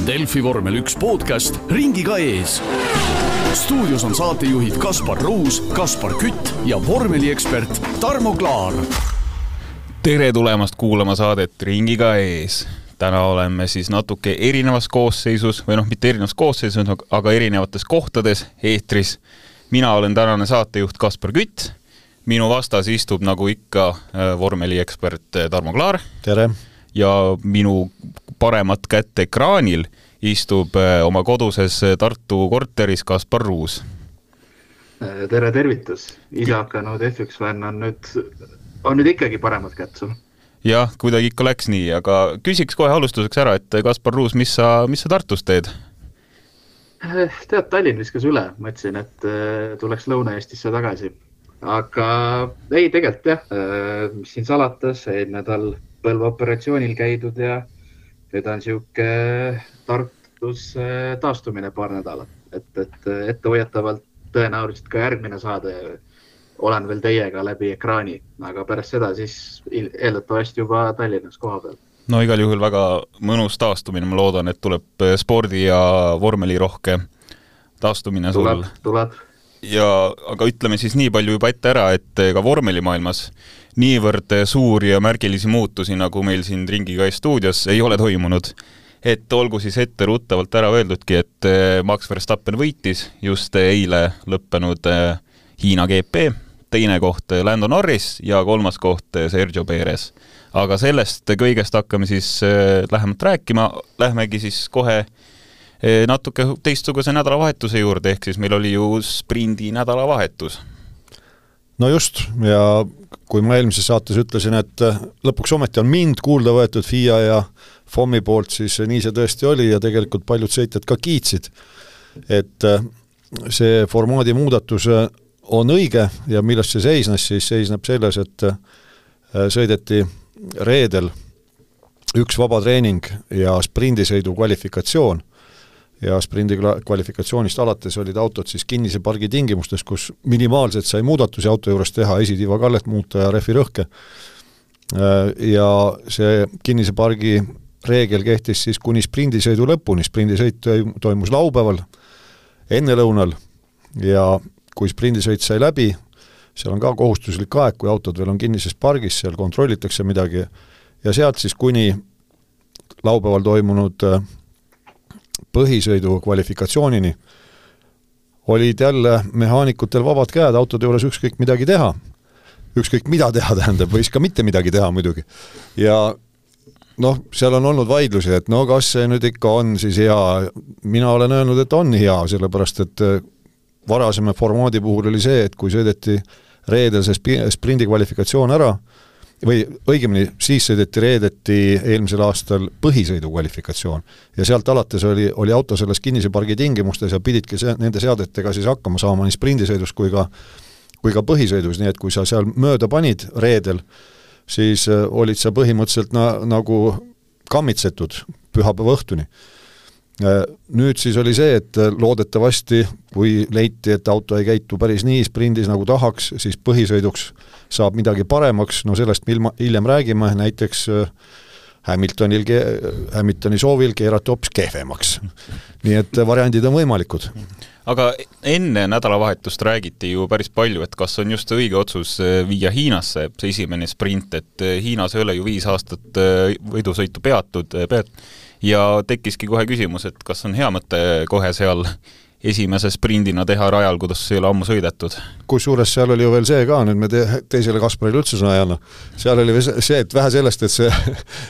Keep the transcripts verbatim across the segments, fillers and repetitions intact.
Delfi vormel üks podcast Ringiga ees. Stuudios on saatejuhid Kaspar Ruus, Kaspar Kütt ja vormeliekspert Tarmo Klaar. Tere tulemast kuulama saadet Ringiga ees. Täna oleme siis natuke erinevas koosseisus, või noh, mitte erinevas koosseisus, aga erinevates kohtades eetris. Mina olen tänane saatejuht Kaspar Kütt. Minu vastas istub nagu ikka vormeliekspert Tarmo Klaar. Tere. Ja minu paremat kätte ekraanil istub oma koduses Tartu korteris Kaspar Ruus. Tere, tervitus. Ise hakanud F üks fänn on nüüd, on nüüd ikkagi paremat kätt sul. Jah, kuidagi ikka läks nii, aga küsiks kohe alustuseks ära, et Kaspar Ruus, mis sa, mis sa Tartus teed? Tead, Tallinn viskas üle. Mõtlesin, et tuleks Lõuna-Eestisse tagasi. Aga ei, tegelikult jah, mis siin salatas, eelmine nädal põlvaoperatsioonil käidud ja nüüd on siuke Tartus taastumine paar nädalat. Et, et ette hoiatavalt tõenäoliselt ka järgmine saade olen veel teiega läbi ekraani, aga pärast seda siis eeldatavasti juba Tallinnas koha peal. No igal juhul väga mõnus taastumine, ma loodan, et tuleb spordi ja vormeli rohke taastumine sul. Tuleb, tuleb. Ja, aga ütleme siis nii palju juba ette ära, et ka vormelimaailmas niivõrd suuri ja märgilisi muutusi, nagu meil siin Ringiga ees stuudios ei ole toimunud. Et olgu siis ette ruttavalt ära öeldudki, et Max Verstappen võitis just eile lõppenud Hiina G P, teine koht Lando Norris ja kolmas koht Sergio Perez. Aga sellest kõigest hakkame siis lähemalt rääkima. Lähmegi siis kohe natuke teistsuguse nädalavahetuse juurde, ehk siis meil oli ju sprindi nädalavahetus. No just, ja kui ma eelmises saates ütlesin, et lõpuks ometi on mind kuulda võetud F I A ja F O M-i poolt, siis nii see tõesti oli ja tegelikult paljud sõitjad ka kiitsid, et see formaadi muudatus on õige ja millest see seisnes, siis seisneb selles, et sõideti reedel üks vaba treening ja sprindisõidu kvalifikatsioon ja sprindi kvalifikatsioonist alates olid autod siis kinnise pargi tingimustes, kus minimaalselt sai muudatusi auto juures teha, esitiiva kallet muuta ja refi rõhke. Ja see kinnise pargi reegel kehtis siis kuni sprindisõidu lõpuni. Sprindisõit toimus laupäeval, enne lõunal ja kui sprindisõit sai läbi, seal on ka kohustuslik aeg, kui autod veel on kinnises pargis, seal kontrollitakse midagi ja sealt siis kuni laupäeval toimunud põhisõidu kvalifikatsioonini olid jälle mehaanikutel vabad käed autode juures ükskõik midagi teha. Ükskõik mida teha tähendab, võis ka mitte midagi teha muidugi. Ja noh, seal on olnud vaidlusi, et no kas see nüüd ikka on siis hea. Mina olen öelnud, et on hea, sellepärast et varasema formaadi puhul oli see, et kui sõideti reedel see sprindi kvalifikatsioon ära, või õigemini siis sõideti reedeti eelmisel aastal põhisõidu kvalifikatsioon ja sealt alates oli, oli auto selles kinnise pargi tingimustes ja pididki se- nende seadetega siis hakkama saama nii sprindisõidus kui ka, kui ka põhisõidus, nii et kui sa seal mööda panid reedel, siis olid sa põhimõtteliselt na, nagu kammitsetud pühapäeva õhtuni. Nüüd siis oli see, et loodetavasti, kui leiti, et auto ei käitu päris nii sprindis nagu tahaks, siis põhisõiduks saab midagi paremaks, no sellest hiljem räägime, näiteks Hamiltonil, Hamiltoni soovil keerati hoopis kehvemaks. Nii et variandid on võimalikud. Aga enne nädalavahetust räägiti ju päris palju, et kas on just õige otsus viia Hiinasse see esimene sprint, et Hiinas ei ole ju viis aastat võidusõitu peatud, peat, ja tekkiski kohe küsimus, et kas on hea mõte kohe seal esimese sprindina teha rajal, kuidas see ei ole ammu sõidetud. Kusjuures seal oli ju veel see ka, nüüd me te, teisele Kasparile üldse sõna jälle. Seal oli see, et vähe sellest, et see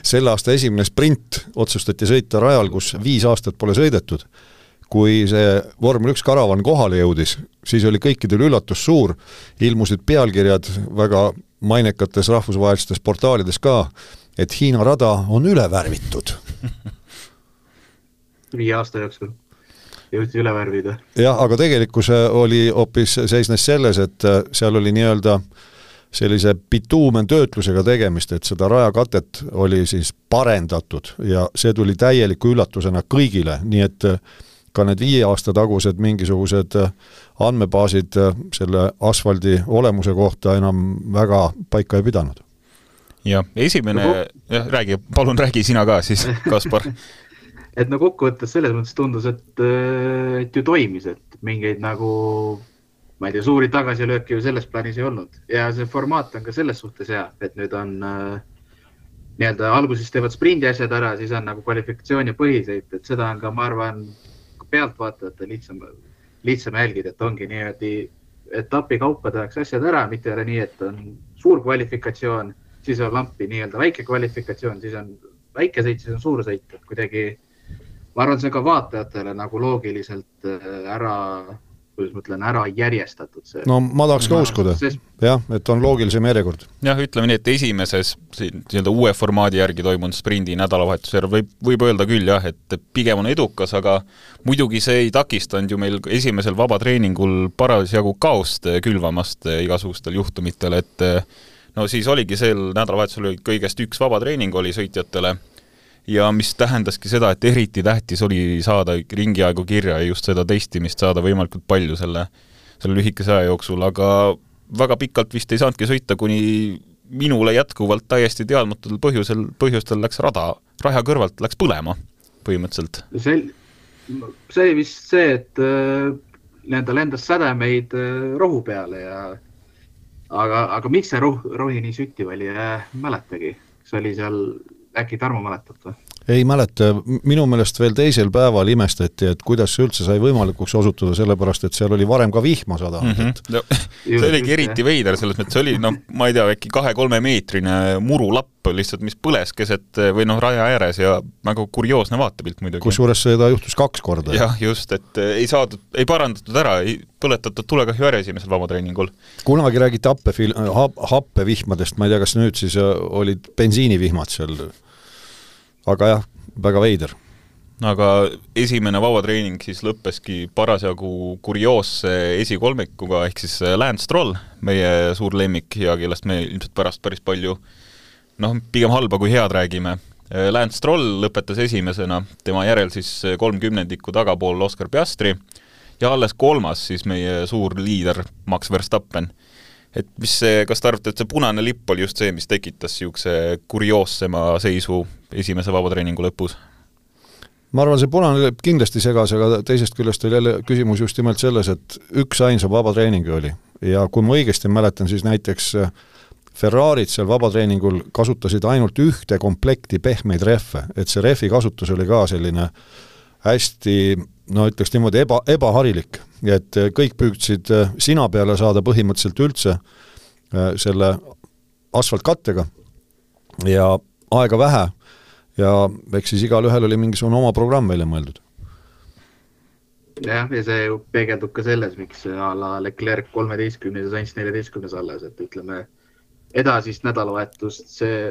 selle aasta esimene sprint otsustati sõita rajal, kus viis aastat pole sõidetud. Kui see vormel üks karavan kohale jõudis, siis oli kõikidel üllatus suur, ilmusid pealkirjad väga mainekates rahvusvahelistes portaalides ka, et Hiina rada on üle värvitud. Viie aasta jooksul jõuti üle värvida. Jah, aga tegelikkus oli hoopis seisnes selles, et seal oli nii-öelda sellise bituumen töötlusega tegemist, et seda rajakatet oli siis parendatud ja see tuli täieliku üllatusena kõigile, nii et ka need viie aasta tagused mingisugused andmebaasid selle asfaldi olemuse kohta enam väga paika ei pidanud. Ja esimene, jah, räägi, palun räägi sina ka siis, Kaspar. et no kokkuvõttes selles mõttes tundus, et, et ju toimis, et mingeid nagu, ma ei tea, suuri tagasilööki ju selles plaanis ei olnud. Ja see formaat on ka selles suhtes hea, et nüüd on äh, nii-öelda alguses teevad sprindi asjad ära, siis on nagu kvalifikatsiooni põhiseid, et seda on ka, ma arvan, pealtvaatajate lihtsam, lihtsam jälgida, et ongi nii-öelda etapi kaupa tehakse asjad ära, mitte ole nii, et on suur kvalifikatsioon, siis on lampi nii-öelda väike kvalifikatsioon, siis on väike sõit, siis on suur sõit, et kuidagi, ma arvan, see ka vaatajatele nagu loogiliselt ära, kuidas ma ütlen, ära järjestatud. See. No ma tahaks ka uskuda, jah, et on loogilisem järjekord. Jah, ütleme nii, et esimeses nii-öelda uue formaadi järgi toimunud sprindi nädalavahetusel võib, võib öelda küll jah, et pigem on edukas, aga muidugi see ei takistanud ju meil esimesel vabatreeningul parasjagu kaost külvamast igasugustel juhtumitel, et no siis oligi sel nädalavahetusel kõigest üks vabatreening oli sõitjatele ja mis tähendaski seda, et eriti tähtis oli saada ringiaegu kirja ja just seda testimist saada võimalikult palju selle, selle lühikese aja jooksul, aga väga pikalt vist ei saanudki sõita, kuni minule jätkuvalt täiesti teadmatul põhjusel, põhjustel läks rada, raja kõrvalt läks põlema põhimõtteliselt. See, see oli vist see, et äh, nende lendas sädemeid äh, rohu peale ja aga, aga miks see roh, rohi nii süttiv oli, äh, mäletagi. See oli seal äkki Tarmo mäletab või? Ei mäleta, minu meelest veel teisel päeval imestati, et kuidas see üldse sai võimalikuks osutuda, sellepärast, et seal oli varem ka vihma sada. Mm -hmm. no, see oligi eriti veider, selles mõttes oli, no ma ei tea, äkki kahe-kolme meetrine murulapp lihtsalt, mis põles keset või noh, raja ääres ja nagu kurioosne vaatepilt muidugi. Kusjuures seda juhtus kaks korda. Jah, just, et ei saadud, ei parandatud ära, ei põletatud tulekahju ära esimesel vabatreeningul. Kunagi räägiti happefil, happevihmadest, ma ei tea, kas nüüd siis olid bensiinivihmad seal. Aga jah, väga veider. Aga esimene vabatreening siis lõppeski parasjagu kurioosse esikolmikuga, ehk siis Lance Stroll, meie suur lemmik ja kellest me ilmselt pärast päris palju, noh, pigem halba kui head räägime. Lance Stroll lõpetas esimesena, tema järel siis kolmkümnendiku tagapool Oscar Piastri ja alles kolmas siis meie suur liider Max Verstappen. Et mis see, kas te arvate, et see punane lipp oli just see, mis tekitas siukse kurioossema seisu esimese vabatreeningu lõpus? Ma arvan, see punane lipp kindlasti segas, aga teisest küljest oli jälle küsimus just nimelt selles, et üks ainsa vabatreeningi oli. Ja kui ma õigesti mäletan, siis näiteks Ferrarid seal vabatreeningul kasutasid ainult ühte komplekti pehmeid rehve, et see rehvi kasutus oli ka selline hästi, no ütleks niimoodi eba, ebaharilik, et kõik püüdsid sina peale saada põhimõtteliselt üldse selle asfaltkattega ja aega vähe ja eks siis igal ühel oli mingisugune oma programm välja mõeldud. Jah, ja see ju peegeldub ka selles, miks a la Leclerc kolmeteistkümnes ja Sainz neljateistkümnes alles, et ütleme edasist nädalavahetust see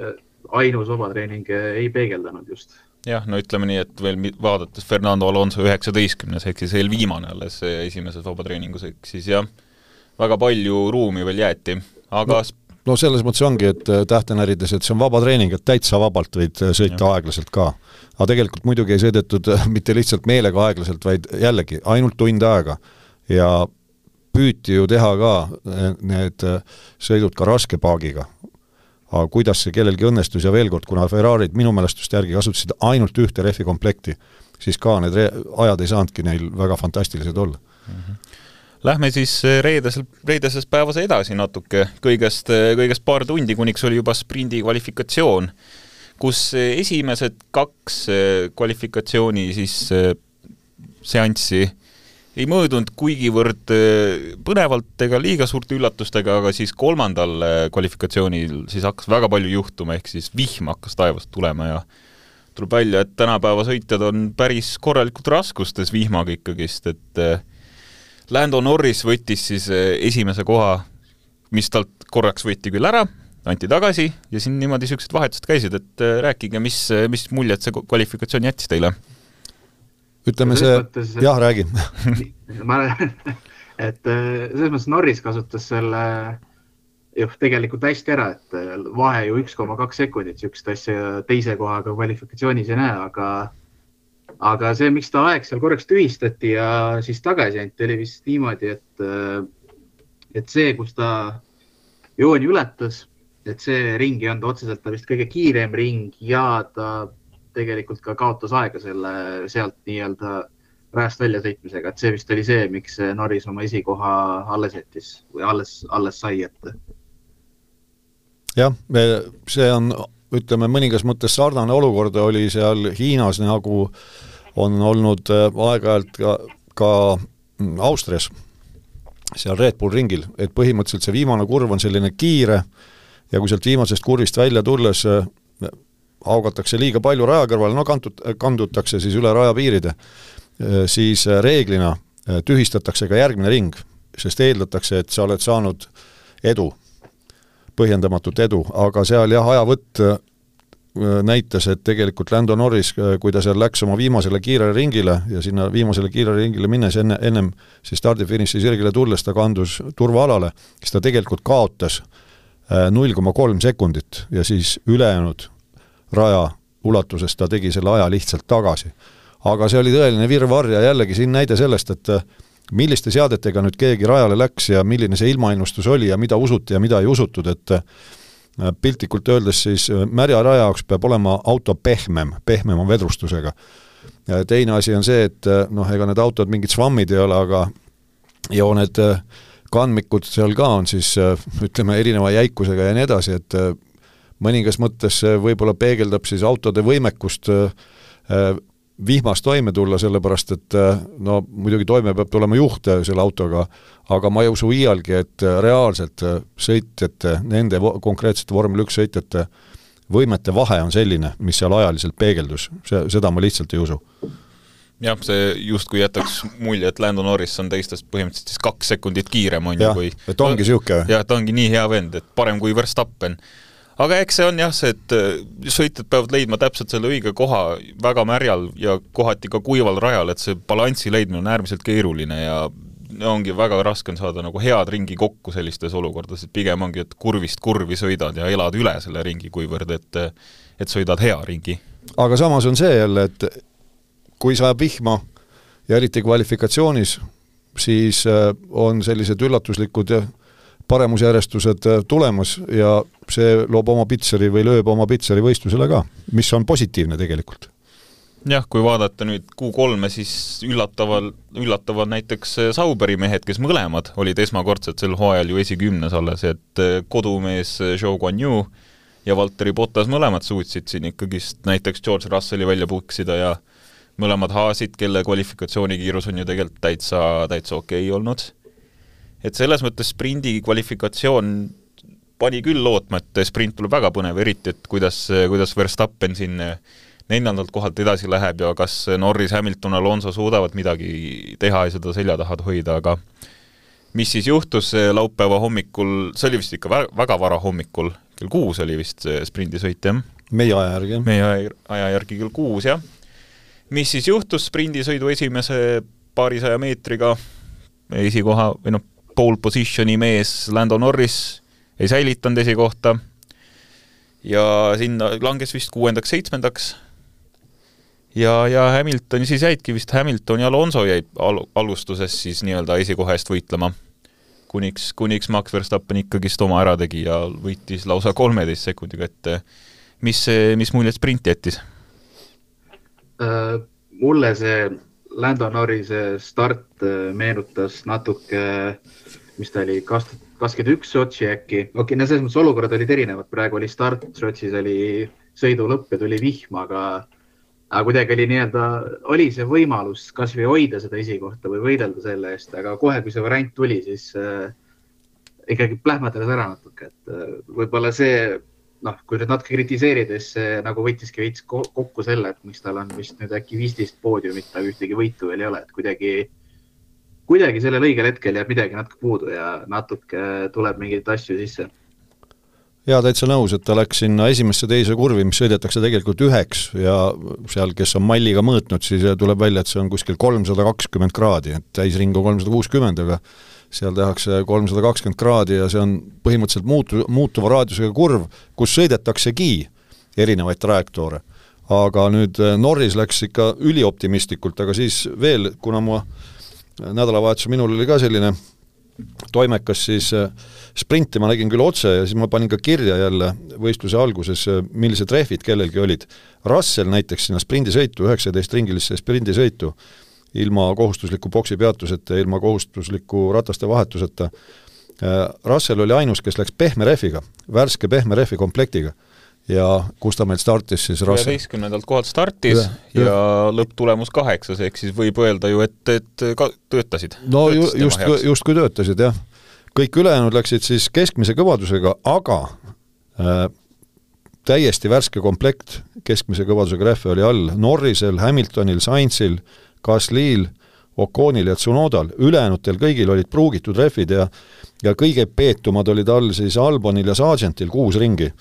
ainus vabatreening ei peegeldanud just. Jah, no ütleme nii, et veel vaadates Fernando Alonso üheksateistkümnes, ehk siis veel viimane alles esimeses vabatreeningus, ehk siis jah, väga palju ruumi veel jäeti, aga... No, no selles mõttes ongi, et tähtenärides, et see on vabatreening, et täitsa vabalt võid sõita ja. Aeglaselt ka. Aga tegelikult muidugi ei sõidetud mitte lihtsalt meelega aeglaselt, vaid jällegi ainult tund aega ja püüti ju teha ka need sõidud ka raske paagiga. Aga kuidas see kellelgi õnnestus ja veel kord, kuna Ferrarid minu mälestust järgi kasutasid ainult ühte rehvi komplekti, siis ka need ajad ei saanudki neil väga fantastilised olla. Mm-hmm. Lähme siis reedes, reedeses päevas edasi natuke, kõigest, kõigest paar tundi, kuniks oli juba sprindi kvalifikatsioon, kus esimesed kaks kvalifikatsiooni siis seanssi ei mõõdunud kuigivõrd põnevalt ega liiga suurte üllatustega, aga siis kolmandal kvalifikatsioonil siis hakkas väga palju juhtuma, ehk siis vihm hakkas taevast tulema ja tuleb välja, et tänapäeva sõitjad on päris korralikult raskustes vihmaga ikkagist, et Lando Norris võttis siis esimese koha, mis talt korraks võeti küll ära, anti tagasi ja siin niimoodi siuksed vahetused käisid, et rääkige, mis, mis muljet see kvalifikatsioon jättis teile? Ütleme see, mõttes, jah, räägi. Ma, et selles mõttes Norris kasutas selle juh, tegelikult hästi ära, et vahe ju üks koma kaks sekundit, siukest asja teise kohaga kvalifikatsioonis ei näe, aga, aga see, miks ta aeg seal korraks tühistati ja siis tagasi anti, oli vist niimoodi, et, et see, kus ta jooni ületas, et see ring ei olnud otseselt ta vist kõige kiirem ring ja ta tegelikult ka kaotas aega selle sealt nii-öelda rajast välja sõitmisega, et see vist oli see, miks Norris oma esikoha alles jättis või alles, alles sai ette. Jah, see on, ütleme, mõningas mõttes sarnane olukord oli seal Hiinas, nagu on olnud aeg-ajalt ka, ka Austrias, seal Red Bull ringil, et põhimõtteliselt see viimane kurv on selline kiire ja kui sealt viimasest kurvist välja tulles augatakse liiga palju raja kõrval, no kandut, kandutakse siis üle rajapiiride, siis reeglina tühistatakse ka järgmine ring, sest eeldatakse, et sa oled saanud edu, põhjendamatut edu, aga seal jah, ajavõtt näitas, et tegelikult Lando Norris, kui ta seal läks oma viimasele kiirele ringile ja sinna viimasele kiirele ringile minnes enne, ennem siis stardifiniši sirgile tulles ta kandus turvaalale, siis ta tegelikult kaotas null koma kolm sekundit ja siis ülejäänud raja ulatuses ta tegi selle aja lihtsalt tagasi. Aga see oli tõeline virvarr ja jällegi siin näide sellest, et milliste seadetega nüüd keegi rajale läks ja milline see ilmaennustus oli ja mida usuti ja mida ei usutud, et piltlikult öeldes siis märja raja jaoks peab olema auto pehmem, pehmem on vedrustusega. Teine asi on see, et noh, ega need autod mingid svammid ei ole, aga ja need kandmikud seal ka on siis, ütleme, erineva jäikusega ja nii edasi, et mõningas mõttes võib-olla peegeldab siis autode võimekust vihmas toime tulla, sellepärast et no muidugi toime peab tulema juht selle autoga, aga ma ei usu iialgi, et reaalselt sõitjate, nende konkreetsete vormel üks sõitjate võimete vahe on selline, mis seal ajaliselt peegeldus. See, seda ma lihtsalt ei usu. Jah, see just kui jätaks mulje, et Lando Norris on teistest põhimõtteliselt siis kaks sekundit kiirem on ja, ju, kui... et ongi siuke. Jah, ta ongi nii hea vend, et parem kui Verstappen. Aga eks see on jah see, et sõitjad peavad leidma täpselt selle õige koha väga märjal ja kohati ka kuival rajal, et see balanssi leidmine on äärmiselt keeruline ja ongi väga raske on saada nagu head ringi kokku sellistes olukordades, et pigem ongi, et kurvist kurvi sõidad ja elad üle selle ringi, kuivõrd, et, et sõidad hea ringi. Aga samas on see jälle, et kui sajab vihma ja eriti kvalifikatsioonis, siis on sellised üllatuslikud paremusjärjestused tulemas ja see loob oma pitseri või lööb oma pitseri võistlusele ka, mis on positiivne tegelikult. Jah, kui vaadata nüüd Q kolme, siis üllataval, üllataval näiteks Sauberi mehed, kes mõlemad olid esmakordselt sel hooajal ju esikümnes alles, et kodumees Zhou Guanyu ja Valtteri Bottas mõlemad suutsid siin ikkagist näiteks George Russelli välja puksida ja mõlemad haasid, kelle kvalifikatsioonikiirus on ju tegelikult täitsa, täitsa okei olnud. Et selles mõttes sprindi kvalifikatsioon pani küll lootma, et sprint tuleb väga põnev, eriti, et kuidas, kuidas Verstappen siin neljandalt kohalt edasi läheb ja kas Norris, Hamilton, Alonso suudavad midagi teha ja seda selja tahad hoida, aga mis siis juhtus laupäeva hommikul, see oli vist ikka väga vara hommikul, kell kuus oli vist sprindisõit, jah? Meie aja järgi. Meie aja järgi kell kuus, jah. Mis siis juhtus sprindisõidu esimese paarisaja meetriga esikoha, või noh, pole positioni mees Lando Norris ei säilitanud esikohta ja sinna langes vist kuuendaks, seitsmendaks ja, ja Hamilton siis jäidki vist Hamilton ja Alonso jäid al- alustuses siis nii-öelda esikoha eest võitlema, kuniks, kuniks Max Verstappen ikkagist oma ära tegi ja võitis lausa kolmeteist sekundiga, et mis, mis muljed sprint jättis? Uh, mulle see Lando Norrise start meenutas natuke, mis ta oli, kakskümmend üks Sotši äkki. Okei, no selles mõttes olukorrad olid erinevad. Praegu oli start, Sotšis oli sõidu lõpp ja tuli vihma, aga, aga kuidagi oli nii-öelda, oli see võimalus kas või hoida seda esikohta või võidelda selle eest, aga kohe, kui see variant tuli, siis äh, ikkagi plähmatades ära natuke. Et, äh, võib-olla see noh, kui nüüd natuke kritiseerides, nagu võttiski veits kokku selle, et miks tal on vist nüüd äkki viisteist poodiumit, aga ühtegi võitu veel ei ole, et kuidagi, kuidagi sellel õigel hetkel jääb midagi natuke puudu ja natuke tuleb mingeid asju sisse. Ja täitsa nõus, et ta läks sinna esimesse teise kurvi, mis sõidetakse tegelikult üheks ja seal, kes on malliga mõõtnud, siis tuleb välja, et see on kuskil kolmsada kakskümmend kraadi, et täisring on kolmsada kuuskümmend, aga seal tehakse kolmsada kakskümmend kraadi ja see on põhimõtteliselt muutu, muutuva raadiusega kurv, kus sõidetaksegi erinevaid trajektoore. Aga nüüd Norris läks ikka ülioptimistlikult, aga siis veel, kuna mu nädalavahetus minul oli ka selline toimekas siis sprinti, ma nägin küll otse ja siis ma panin ka kirja jälle võistluse alguses, millised rehvid kellelgi olid. Russell näiteks sinna sprindisõitu, üheksateist ringilisse sprindisõitu, ilma kohustusliku boksi peatuseta, ilma kohustusliku rataste vahetuseta. Russell oli ainus, kes läks pehme rehviga, värske pehme rehvi komplektiga. Ja kus ta meil startis siis Russell? üheteistkümnendalt kohalt startis ja, ja, ja lõpptulemus kaheksas, ehk siis võib öelda ju, et, et ka töötasid. No ju, just, just kui töötasid, jah. Kõik ülejäänud läksid siis keskmise kõvadusega, aga äh, täiesti värske komplekt keskmise kõvadusega rehve oli all Norrisel, Hamiltonil, Sainzil, Gaslil, Oconil ja Tsunodal. Ülejäänutel kõigil olid pruugitud rehvid ja, ja kõige peetumad olid all siis Albonil ja Sargentil kuus ringi.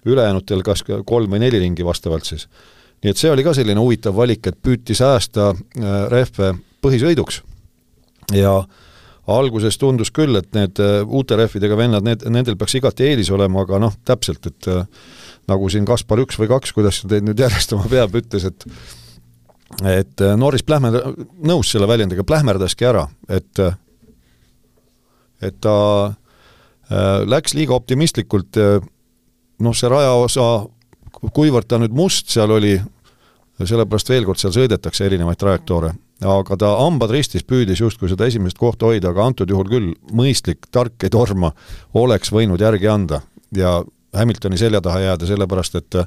Ülejäänutel kas kolm või neli ringi vastavalt siis. Nii et see oli ka selline huvitav valik, et püüti säästa rehve põhisõiduks. Ja alguses tundus küll, et need uute rehvidega vennad, need, nendel peaks igati eelis olema, aga noh, täpselt, et nagu siin Kaspar üks või kaks, kuidas teid nüüd järjestama peab, ütles, et et Norris plähmer, nõus selle väljendiga, plähmerdaski ära, et et ta läks liiga optimistlikult noh, see rajaosa, kuivõrd ta nüüd must seal oli, sellepärast veel kord seal sõidetakse erinevaid trajektoore, aga ta hambad ristis püüdis justkui seda esimest kohta hoida, aga antud juhul küll mõistlik, tark ei torma oleks võinud järgi anda ja Hamiltoni selja taha jääda, sellepärast et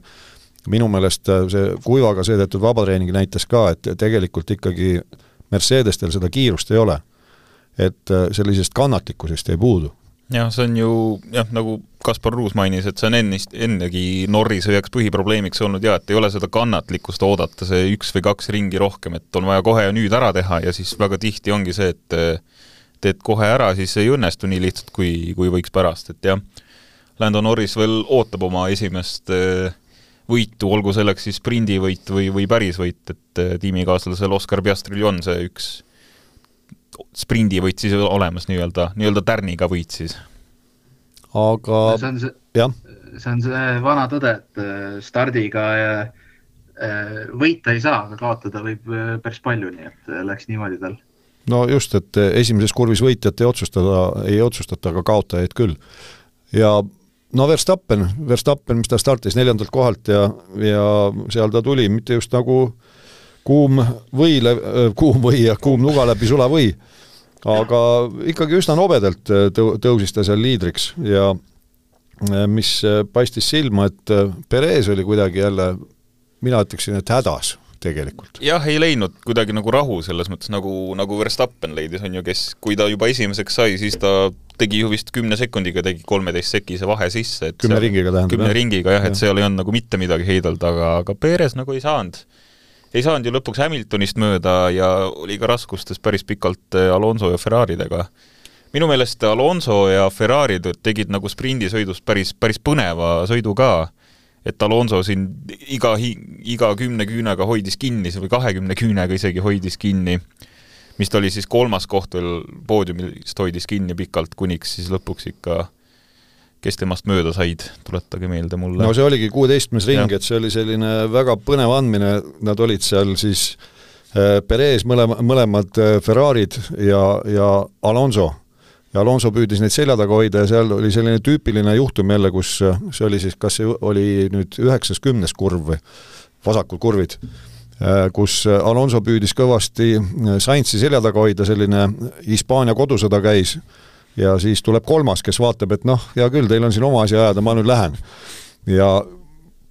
minu meelest see kuivaga sõidetud vabatreening näitas ka, et tegelikult ikkagi Mercedestel seda kiirust ei ole, et sellisest kannatlikkusest ei puudu. Jah, see on ju, jah, nagu Kaspar Ruus mainis, et see on ennist, ennegi Norrise üheks põhiprobleemiks olnud ja et ei ole seda kannatlikkust oodata see üks või kaks ringi rohkem, et on vaja kohe ja nüüd ära teha ja siis väga tihti ongi see, et teed kohe ära, siis ei õnnestu nii lihtsalt, kui, kui võiks pärast, et jah, Lando Norris veel ootab oma esimest võitu, olgu selleks siis sprindivõit või, või pärisvõit, et tiimikaaslasel Oscar Piastril on see üks sprindi võit siis olemas nii-öelda, nii-öelda tärniga võit siis. Aga see on see, see on see vana tõde, et stardiga võita ei saa, aga kaotada võib päris palju, nii et läks niimoodi tal. No just, et esimeses kurvis võitjat ei otsustada, ei otsustata, aga kaotajaid küll. Ja no Verstappen, Verstappen, mis ta startis neljandalt kohalt ja, ja seal ta tuli, mitte just nagu kuum või, kuum või ja kuum nuga läbi sula või, aga ikkagi üsna nobedalt tõusis ta seal liidriks ja mis paistis silma, et Perez oli kuidagi jälle, mina ütleksin, et hädas tegelikult. Jah, ei leidnud kuidagi nagu rahu selles mõttes, nagu, nagu Verstappen leidis, on ju, kes, kui ta juba esimeseks sai, siis ta tegi ju vist kümne sekundiga, tegi kolmeteist sekise vahe sisse. Et kümne ringiga tähendab. Kümne jah. ringiga, jah, et ja. seal ei olnud nagu mitte midagi heidalda, aga, aga Perez nagu ei saanud. Ei saanud ju lõpuks Hamiltonist mööda ja oli ka raskustes päris pikalt Alonso ja Ferraridega. Minu meelest Alonso ja Ferrarid tegid nagu sprindisõidust päris, päris põneva sõidu ka, et Alonso siin iga, iga kümne küünega hoidis kinni või kahekümne küünega isegi hoidis kinni, mis ta oli siis kolmas koht veel poodiumist hoidis kinni pikalt, kuniks siis lõpuks ikka kes temast mööda said, tuletage meelde mulle. No see oligi kuueteistkümnes ring, et see oli selline väga põnev andmine, nad olid seal siis Perez, mõlema, mõlemad Ferrarid ja, ja Alonso. Ja Alonso püüdis neid selja taga hoida ja seal oli selline tüüpiline juhtum jälle, kus see oli siis, kas see oli nüüd üheksas kümnes kurv või vasakul kurvid, kus Alonso püüdis kõvasti Sainzi selja taga hoida, selline Hispaania kodusõda käis ja siis tuleb kolmas, kes vaatab, et noh, hea küll, teil on siin oma asi ajada, ma nüüd lähen. Ja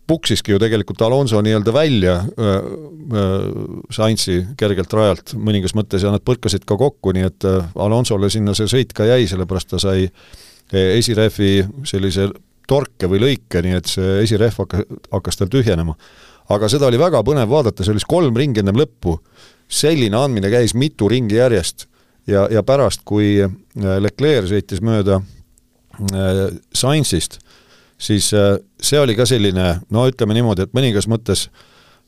puksiski ju tegelikult Alonso nii-öelda välja äh, äh, Sainzi kergelt rajalt mõningas mõttes ja nad põrkasid ka kokku, nii et äh, Alonsole sinna see sõit ka jäi, sellepärast ta sai esirehvi sellise torke või lõike, nii et see esirehv hakkas, hakkas tal tühjenema. Aga seda oli väga põnev vaadata, see oli kolm ringi ennem lõppu, selline andmine käis mitu ringi järjest. Ja, ja pärast, kui Leclerc sõitis mööda Sainzist, siis see oli ka selline, no ütleme niimoodi, et mõningas mõttes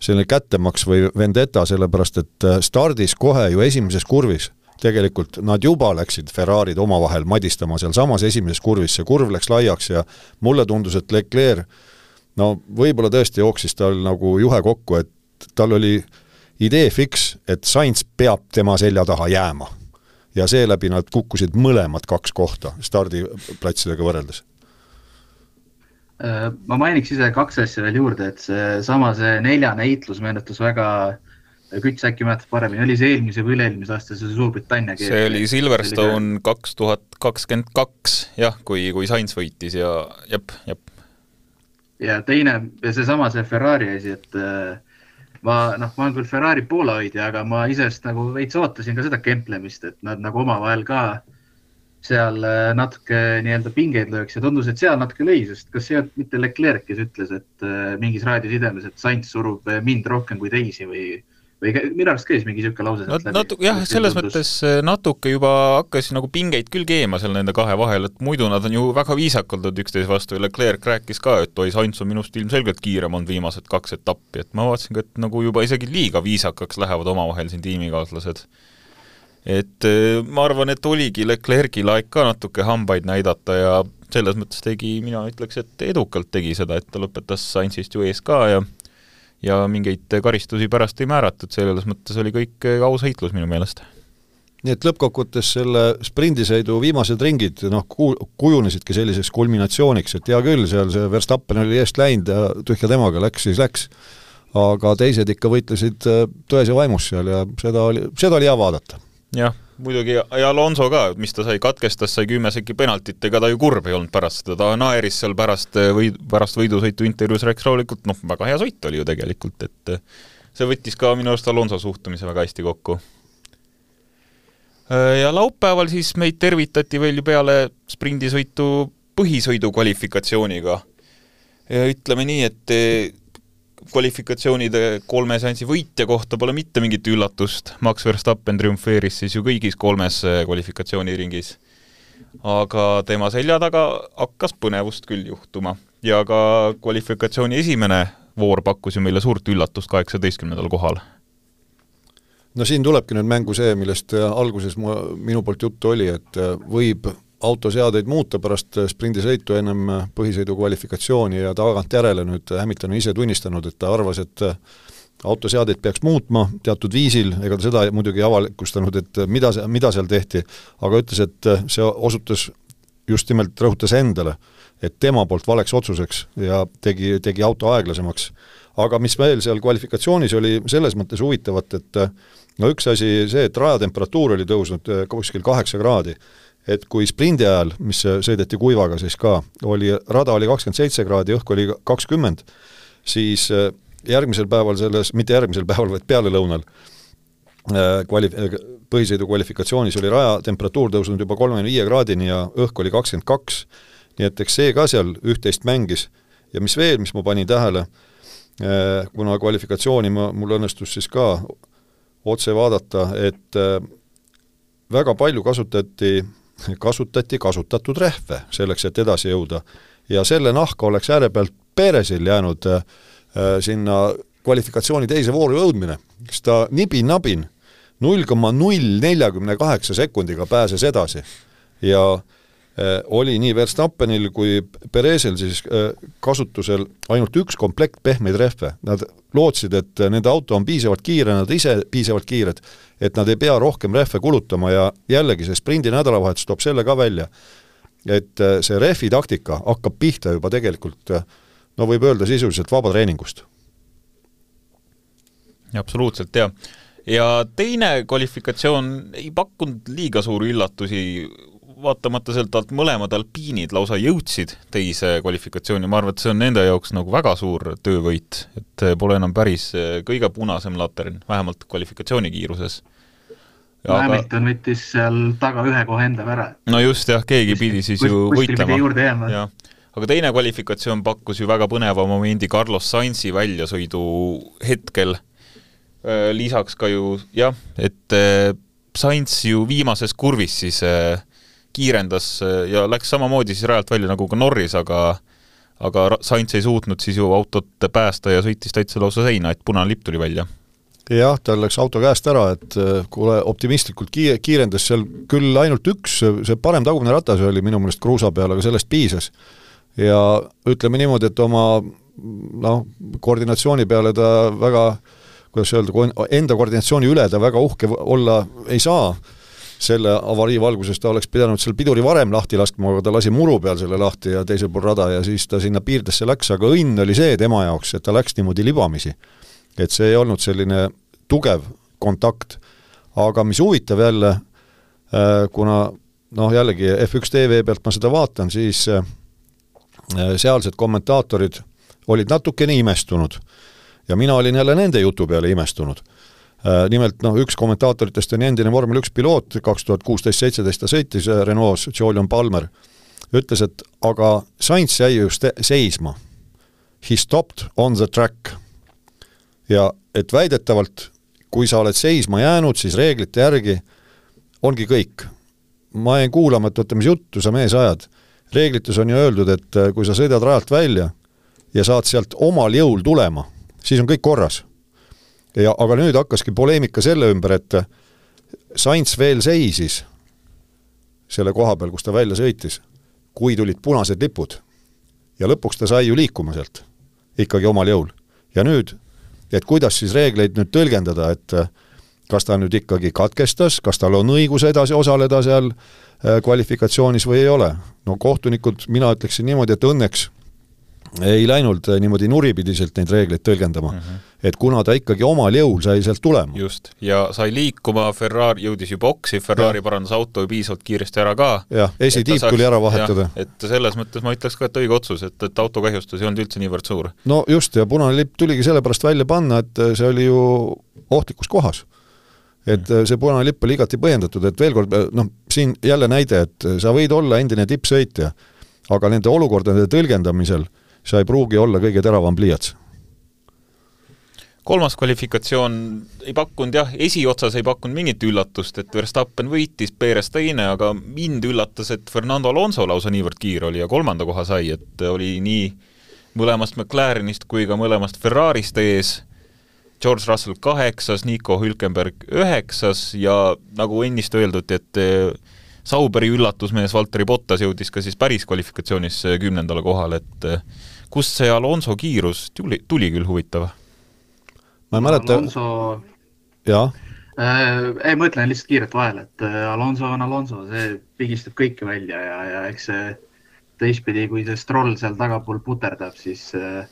selline kättemaks või vendetta, sellepärast et stardis kohe ju esimeses kurvis, tegelikult nad juba läksid Ferrarid omavahel madistama seal samas esimeses kurvis, see kurv läks laiaks ja mulle tundus, et Leclerc, no võib-olla tõesti jooksis tal nagu juhe kokku, et tal oli idee fiks, et Sainz peab tema selja taha jääma. ja seeläbi nad kukkusid mõlemad kaks kohta stardiplatsidega võrreldes. Ma mainiks ise kaks asja veel juurde, et see sama see neljane heitlus meenutus väga, Küts äkki mäletab paremini, oli see eelmise või üle-eelmise aasta see Suurbritannia kees. See oli Silverstone kaks tuhat kakskümmend kaks, jah, kui, kui Sainz võitis ja jep, jep. Ja teine, ja see sama see Ferrari asi, et ma, noh, ma olen küll Ferrari poolahoidja, aga ma isest nagu veits ootasin ka seda kemplemist, et nad nagu omavahel ka seal natuke nii-öelda pingeid lööks ja tundus, et seal natuke lõi, sest kas see on mitte Leclerc, kes ütles, et mingis raadiosidemes, et Sainz surub mind rohkem kui teisi või või minu arust käis mingi siuke lause sealt läbi? Natu, jah, selles tundus... mõttes natuke juba hakkas nagu pingeid küll keema seal nende kahe vahel, et muidu nad on ju väga viisakaldud üksteise vastu ja Leclerc rääkis ka, et oi, Sainz on minust ilmselgelt kiirem on viimased kaks etappi, et ma vaatasin ka, et nagu juba isegi liiga viisakaks lähevad omavahel siin tiimikaaslased. Et ma arvan, et oligi Leclerc'il aeg ka natuke hambaid näidata ja selles mõttes tegi, mina ütleks, et edukalt tegi seda, et ta lõpetas Sainzist ju ees ka ja ja mingeid karistusi pärast ei määratud, selles mõttes oli kõik aus heitlus minu meelest. Nii et lõppkokkuvõttes selle sprindisõidu viimased ringid noh, kujunesidki selliseks kulminatsiooniks, et hea küll, seal see Verstappen oli eest läinud ja tühja temaga läks, siis läks, aga teised ikka võitlesid tões ja vaimus seal ja seda oli, seda oli hea vaadata. Jah, muidugi ja Alonso ka, mis ta sai, katkestas, sai kümme sekki penaltit, ega ta ju kurb ei olnud pärast seda, ta naeris seal pärast, või, pärast võidusõitu intervjuus rääkis rahulikult, noh, väga hea sõit oli ju tegelikult, et see võttis ka minu arust Alonso suhtumise väga hästi kokku. Ja laupäeval siis meid tervitati veel ju peale sprindisõitu põhisõidu kvalifikatsiooniga. Ja ütleme nii, et kvalifikatsioonide kolme seansi võitja kohta pole mitte mingit üllatust. Max Verstappen triumfeeris siis ju kõigis kolmes kvalifikatsiooniringis. Aga tema selja taga hakkas põnevust küll juhtuma. Ja ka kvalifikatsiooni esimene voor pakkus ju meile suurt üllatust kaheksateistkümnendal kohal. No siin tulebki nüüd mängu see, millest alguses ma, minu poolt juttu oli, et võib autoseadeid muuta pärast sprindisõitu ennem põhisõidu kvalifikatsiooni ja tagant järele nüüd Hamilton on ise tunnistanud, et ta arvas, et autoseadeid peaks muutma teatud viisil, ega ta seda muidugi avalikustanud, et mida, mida seal tehti, aga ütles, et see osutus just nimelt rõhutas endale, et tema poolt valeks otsuseks ja tegi, tegi auto aeglasemaks. Aga mis veel seal kvalifikatsioonis oli selles mõttes huvitavat, et no üks asi see, et rajatemperatuur oli tõusnud kuskil kaheksa kraadi, et kui sprindi ajal, mis sõideti kuivaga siis ka, oli, rada oli kakskümmend seitse kraadi, õhk oli kakskümmend, siis järgmisel päeval selles, mitte järgmisel päeval, vaid peale lõunal kvali, põhisõidu kvalifikatsioonis oli raja temperatuur tõusnud juba kolmekümne viie kraadini ja õhk oli kakskümmend kaks, nii et eks see ka seal üht-teist mängis. Ja mis veel, mis ma panin tähele, kuna kvalifikatsiooni ma, mul õnnestus siis ka otse vaadata, et väga palju kasutati kasutati kasutatud rehve selleks, et edasi jõuda. Ja selle nahka oleks ääre pealt Peresil jäänud äh, sinna kvalifikatsiooni teise vooru jõudmine, kes ta nibin-nabin null koma null nelikümmend kaheksa sekundiga pääses edasi. Ja äh, oli nii Verstappenil kui Perezil siis äh, kasutusel ainult üks komplekt pehmeid rehve. Nad lootsid, et nende auto on piisavalt kiire, nad ise piisavalt kiired, et nad ei pea rohkem rehve kulutama ja jällegi see sprindi nädalavahetus toob selle ka välja, et see rehvi taktika hakkab pihta juba tegelikult, no võib öelda sisuliselt vaba treeningust. Absoluutselt, jah. Ja teine kvalifikatsioon ei pakkunud liiga suuri üllatusi, vaatamata sealt alt mõlemad alpiinid lausa jõudsid teise kvalifikatsiooni. Ma arvan, et see on nende jaoks nagu väga suur töövõit, et pole enam päris kõige punasem latern, vähemalt kvalifikatsiooni kiiruses. Aga... Hamilton võttis seal taga ühe kohe enda ära. No just jah, keegi pidi siis ju võitlema. Ja. Aga teine kvalifikatsioon pakkus ju väga põneva momendi Carlos Sainzi väljasõidu hetkel. Lisaks ka ju, jah, et Sainz ju viimases kurvis siis kiirendas ja läks samamoodi siis rajalt välja nagu ka Norris, aga, aga Sainz ei suutnud siis ju autot päästa ja sõitis täitsa lausa seina, et punane lipp tuli välja. Jah, tal läks auto käest ära, et kuule optimistlikult kiirendas seal küll ainult üks, see parem tagumine ratas oli minu meelest kruusa peal, aga sellest piisas. Ja ütleme niimoodi, et oma no, koordinatsiooni peale ta väga, kuidas öelda, enda koordinatsiooni üle ta väga uhke olla ei saa. selle avarii valguses ta oleks pidanud seal piduri varem lahti laskma, aga ta lasi muru peal selle lahti ja teisel pool rada ja siis ta sinna piirdesse läks, aga õnn oli see tema jaoks, et ta läks niimoodi libamisi. Et see ei olnud selline tugev kontakt. Aga mis huvitav jälle, kuna noh, jällegi F üks T V pealt ma seda vaatan, siis sealsed kommentaatorid olid natukene imestunud ja mina olin jälle nende jutu peale imestunud. Nimelt noh, üks kommentaatoritest on endine vormel üks piloot, kaks tuhat kuusteist seitseteist ta sõitis Renault's, Julian Palmer, ütles, et aga Sainz jäi just seisma. He stopped on the track. Ja et väidetavalt, kui sa oled seisma jäänud, siis reeglite järgi ongi kõik. Ma jäin kuulama, et võtta, mis juttu sa mees ajad. Reeglites on ju öeldud, et kui sa sõidad rajalt välja ja saad sealt omal jõul tulema, siis on kõik korras. Ja, aga nüüd hakkaski poleemika selle ümber, et Sainz veel seisis selle koha peal, kus ta välja sõitis, kui tulid punased lipud. Ja lõpuks ta sai ju liikuma sealt ikkagi omal jõul. Ja nüüd, et kuidas siis reegleid nüüd tõlgendada, et kas ta nüüd ikkagi katkestas, kas tal on õigus edasi osaleda seal kvalifikatsioonis või ei ole. No kohtunikud, mina ütleksin niimoodi, et õnneks ei läinud niimoodi nuripidiselt neid reegleid tõlgendama. Mm -hmm. Et kuna ta ikkagi omal jõul sai sealt tulema. Just, ja sai liikuma, Ferrari jõudis ju boksi, Ferrari ja. parandas auto piisavalt kiiresti ära ka. Jah, esitiip tuli ära vahetada. Ja, et selles mõttes ma ütleks ka, et õige otsus, et, et autokahjustus ei olnud üldse niivõrd suur. No just, ja punane lipp tuligi sellepärast välja panna, et see oli ju ohtlikus kohas. Et see punane lipp oli igati põhjendatud, et veel kord, noh, siin jälle näide, et sa võid olla endine tippsõitja, aga nende olukordade tõlgendamisel sa ei pruugi olla kõige teravam pliiats. Kolmas kvalifikatsioon ei pakkunud, jah, esiotsas ei pakkunud mingit üllatust, et Verstappen võitis, Perez teine, aga mind üllatas, et Fernando Alonso lausa niivõrd kiir oli ja kolmanda koha sai, et oli nii mõlemast McLarenist kui ka mõlemast Ferrarist ees, George Russell kaheksas, Nico Hülkenberg üheksas ja nagu ennist öeldud, et Sauberi üllatusmees Valtteri Bottas jõudis ka siis päris kvalifikatsioonis kümnendale kohale, et kust see Alonso kiirus tuli, tuli küll huvitav? Ma ei mäleta... Alonso... Jaa? Äh, ei, ma ütlen lihtsalt kiiret vahel, et Alonso on Alonso, see pigistab kõike välja ja, ja eks see teistpidi, kui see Stroll seal tagapool puterdab, siis äh,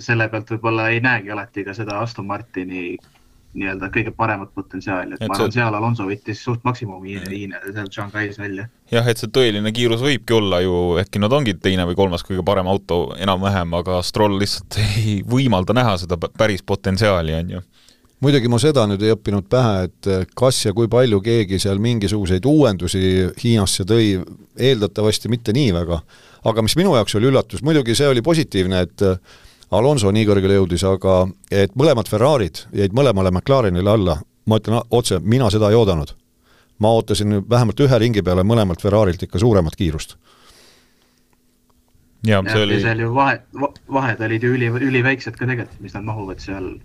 selle pealt võib-olla ei näegi alati ka seda Aston Martini nii-öelda kõige paremat potentsiaali, et, et ma arvan, see... seal Alonso võttis suht maksimumi hiine seal Shanghais välja. Jah, et see tõeline kiirus võibki olla ju, ehkki nad ongi teine või kolmas kõige parem auto enam-vähem, aga Stroll lihtsalt ei võimalda näha seda päris potentsiaali, on ju. Muidugi ma seda nüüd ei õppinud pähe, et kas ja kui palju keegi seal mingisuguseid uuendusi Hiinasse tõi, eeldatavasti mitte nii väga, aga mis minu jaoks oli üllatus, muidugi see oli positiivne, et Alonso nii kõrgele jõudis, aga et mõlemad Ferrarid jäid mõlemale McLarenile alla, ma ütlen otse, mina seda ei oodanud. Ma ootasin vähemalt ühe ringi peale mõlemalt Ferrarilt ikka suuremat kiirust. Ja, see oli... ja seal ju vahed, vahed olid ju üli, üliväiksed ka tegelikult, mis nad mahuvad seal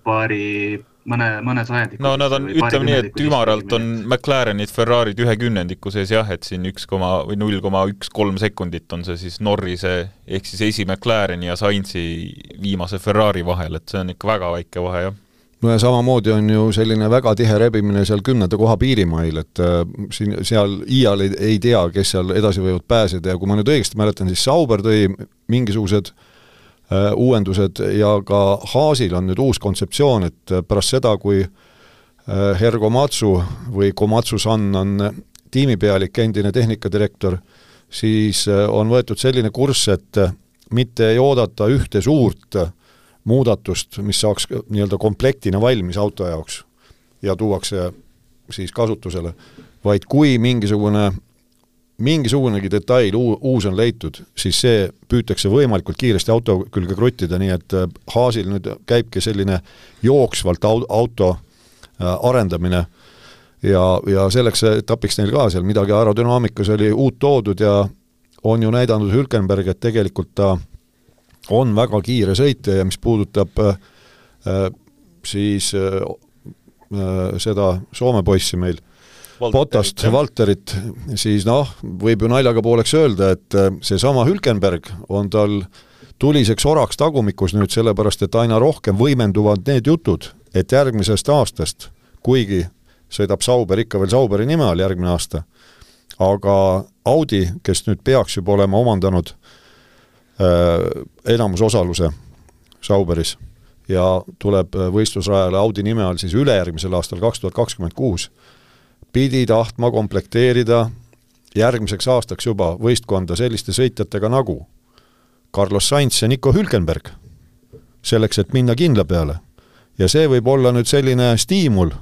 paari, mõne, mõne sajandiku. No nad on, ütleme nii, et ümaralt on McLarenid, Ferrarid ühe kümnendiku sees jah, et siin üks või null koma üks kolm sekundit on see siis Norrise ehk siis esi McLareni ja Sainzi viimase Ferrari vahel, et see on ikka väga väike vahe, jah. No ja samamoodi on ju selline väga tihe rebimine seal kümnenda koha piirimail, et äh, siin, seal iial ei, ei tea, kes seal edasi võivad pääseda ja kui ma nüüd õigesti mäletan, siis Sauber tõi mingisugused äh, uuendused ja ka Haasil on nüüd uus kontseptsioon, et pärast seda, kui äh, Herr Komatsu või Komatsu-san on tiimipealik, endine tehnikadirektor, siis äh, on võetud selline kurss, et äh, mitte ei oodata ühte suurt äh, muudatust, mis saaks nii-öelda komplektina valmis auto jaoks ja tuuakse siis kasutusele, vaid kui mingisugune mingisugunegi detail uus on leitud, siis see püütakse võimalikult kiiresti auto külge kruttida, nii et Haasil nüüd käibki selline jooksvalt auto arendamine ja, ja selleks etapiks neil ka seal midagi aerodünaamikas oli uut toodud ja on ju näidanud Hülkenberg, et tegelikult ta on väga kiire sõitja ja mis puudutab äh, siis äh, seda Soome poissi meil, Bottast, Valterit, siis noh, võib ju naljaga pooleks öelda, et see sama Hülkenberg on tal tuliseks oraks tagumikus nüüd sellepärast, et aina rohkem võimenduvad need jutud, et järgmisest aastast, kuigi sõidab Sauber ikka veel Sauberi nime all järgmine aasta, aga Audi, kes nüüd peaks juba olema omandanud äh, enamusosaluse Sauberis ja tuleb võistlusrajale Audi nime all siis ülejärgmisel aastal kaks tuhat kakskümmend kuus, pidi tahtma komplekteerida järgmiseks aastaks juba võistkonda selliste sõitjatega nagu Carlos Sainz ja Nico Hülkenberg, selleks, et minna kindla peale. Ja see võib olla nüüd selline stiimul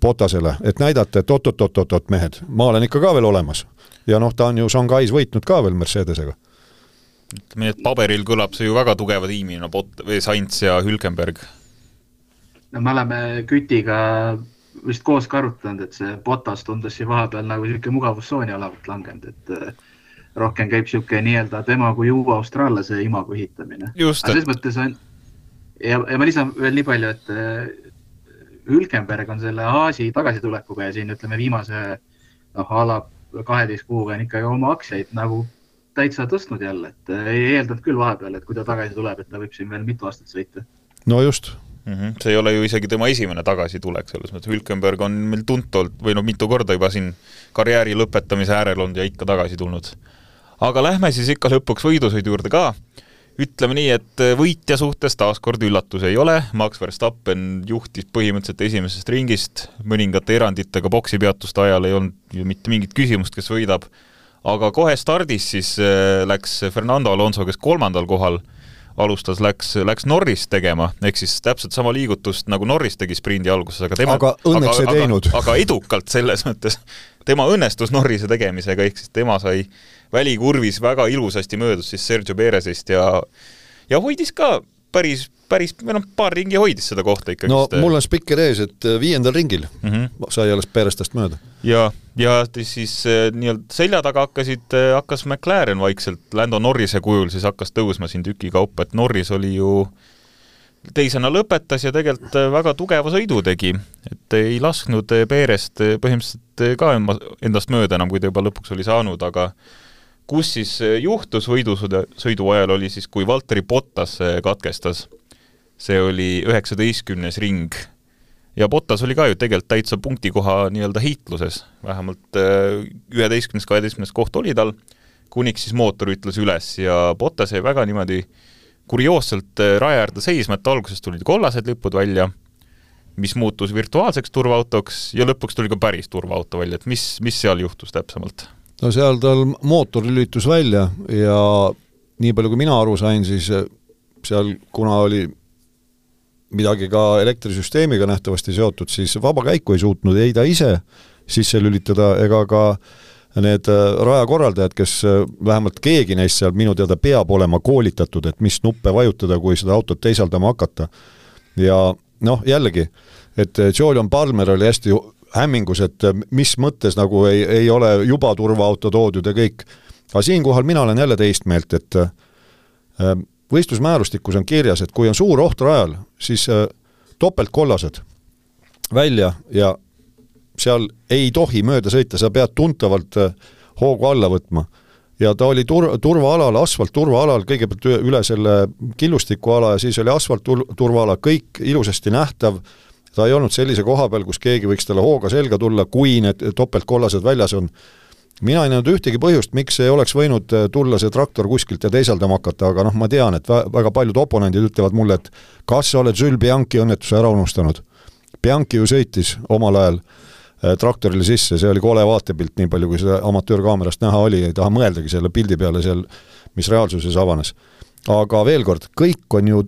Bottasele, et näidata, et oot-oot-oot-oot mehed, ma olen ikka ka veel olemas. Ja noh, ta on ju Shanghais võitnud ka veel Mercedesega. Ütleme, et paberil kõlab see ju väga tugeva tiimina, Bot- või Sainz ja Hülkenberg. No me oleme Kütiga vist koos ka arutanud, et see Bottas tundus siin vahepeal nagu selline mugavussooni alavat langenud, et rohkem käib selline nii-öelda tema kui uue austraallase imagu hitamine. Just, et... mõttes on, ja, ja ma lisan veel nii palju, et Hülkenberg on selle Haasi tagasitulekuga ja siin ütleme viimase noh, ala kaheteist kuuga on ikkagi oma aktsiaid nagu täitsa tõstnud jälle, et ei eeldanud küll vahepeal, et kui ta tagasi tuleb, et ta võib siin veel mitu aastat sõita. No just. Mm-hmm. See ei ole ju isegi tema esimene tagasitulek, selles mõttes Hülkenberg on meil tuntult või no mitu korda juba siin karjääri lõpetamise äärel olnud ja ikka tagasi tulnud. Aga lähme siis ikka lõpuks võidusõidu juurde ka. Ütleme nii, et võitja suhtes taaskord üllatus ei ole. Max Verstappen juhtis põhimõtteliselt esimesest ringist, mõningate eranditega boksipeatuste ajal ei olnud ju mitte mingit küsimust, kes võidab. Aga kohe stardis siis läks Fernando Alonso, kes kolmandal kohal alustas, läks, läks Norris tegema, ehk siis täpselt sama liigutust nagu Norris tegi sprindi alguses, aga tema aga õnneks aga, ei teinud. Aga, aga edukalt selles mõttes. Tema õnnestus Norrise tegemisega, ehk siis tema sai välikurvis väga ilusasti möödus siis Sergio Perezist ja, ja hoidis ka päris, päris või noh, paar ringi hoidis seda kohta ikkagi. No mul on spikker ees, et viiendal ringil mm-hmm. sai alles Perestast mööda. Ja, ja siis nii-öelda selja taga hakkasid, hakkas McLaren vaikselt Lando Norrise kujul, siis hakkas tõusma siin tüki kaupa, et Norris oli ju teisena lõpetas ja tegelikult väga tugeva sõidu tegi, et ei lasknud Perest põhimõtteliselt ka endast mööda enam, kui ta juba lõpuks oli saanud, aga kus siis juhtus võidusõidu ajal oli siis, kui Valtteri Bottas katkestas. See oli üheksateistkümnes ring. Ja Bottas oli ka ju tegelikult täitsa punktikoha nii-öelda hiitluses. Vähemalt üheteistkümnes kaheteistkümnes koht oli tal, kuniks siis mootor ütles üles ja Bottas jäi väga niimoodi kurioosselt raja äärde seisma, et alguses tulid kollased lipud välja, mis muutus virtuaalseks turvaautoks ja lõpuks tuli ka päris turvaauto välja, et mis, mis seal juhtus täpsemalt? No seal tal mootor lülitus välja ja nii palju kui mina aru sain, siis seal kuna oli midagi ka elektrisüsteemiga nähtavasti seotud, siis vaba käiku ei suutnud ei ta ise sisse lülitada ega ka need rajakorraldajad, kes vähemalt keegi neist seal minu teada peab olema koolitatud, et mis nuppe vajutada, kui seda autot teisaldama hakata. Ja noh, jällegi, et Julian Palmer oli hästi hämmingus, et mis mõttes nagu ei, ei ole juba turvaauto toodud ja kõik. Aga siinkohal mina olen jälle teist meelt, et võistlusmäärustikus on kirjas, et kui on suur oht rajal, siis topeltkollased välja ja seal ei tohi mööda sõita, sa pead tuntavalt hoogu alla võtma. Ja ta oli tur- turvaalal, asfalt turvaalal, kõigepealt üle selle killustiku ala ja siis oli asfalt turvaala, kõik ilusasti nähtav. Ta ei olnud sellise koha peal, kus keegi võiks talle hooga selga tulla, kui need topeltkollased väljas on. Mina ei näinud ühtegi põhjust, miks ei oleks võinud tulla see traktor kuskilt ja teisaldama hakata, aga noh, ma tean, et väga paljud oponendid ütlevad mulle, et kas sa oled Jules Bianchi õnnetuse ära unustanud. Bianchi ju sõitis omal ajal traktorile sisse, see oli kole vaatepilt, nii palju kui seda amatöörkaamerast näha oli, ei taha mõeldagi selle pildi peale seal, mis reaalsuses avanes. Aga veel kord, kõik on ju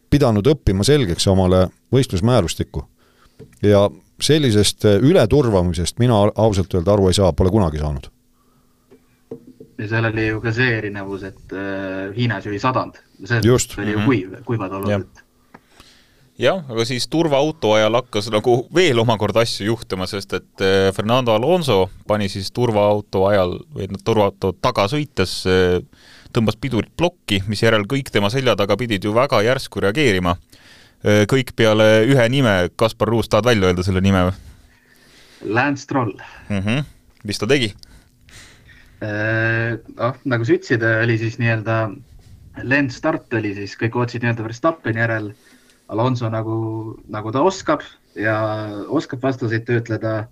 pidanud õppima selgeks omale võistlusmäärustikku. Ja sellisest ületurvamisest mina ausalt öelda aru ei saa, pole kunagi saanud. Ja seal oli ju ka see erinevus, et Hiinas ju ei sadanud. See Just. oli ju kuiv, kuivad olud. Jah, aga siis turvaauto ajal hakkas nagu veel omakorda asju juhtuma, sest et Fernando Alonso pani siis turvaauto ajal või turvaauto taga sõites tõmbas pidurit plokki, mis järel kõik tema selja taga pidid ju väga järsku reageerima. Kõik peale ühe nime, Kaspar Ruus, tahad välja öelda selle nime? Lance Stroll. Mm-hmm. Mis ta tegi? Äh, oh, nagu sa ütsid, oli siis nii-öelda Lance start oli siis, kõik ootsid nii-öelda Verstappeni järel, Alonso nagu, nagu ta oskab ja oskab vastaseid töötleda,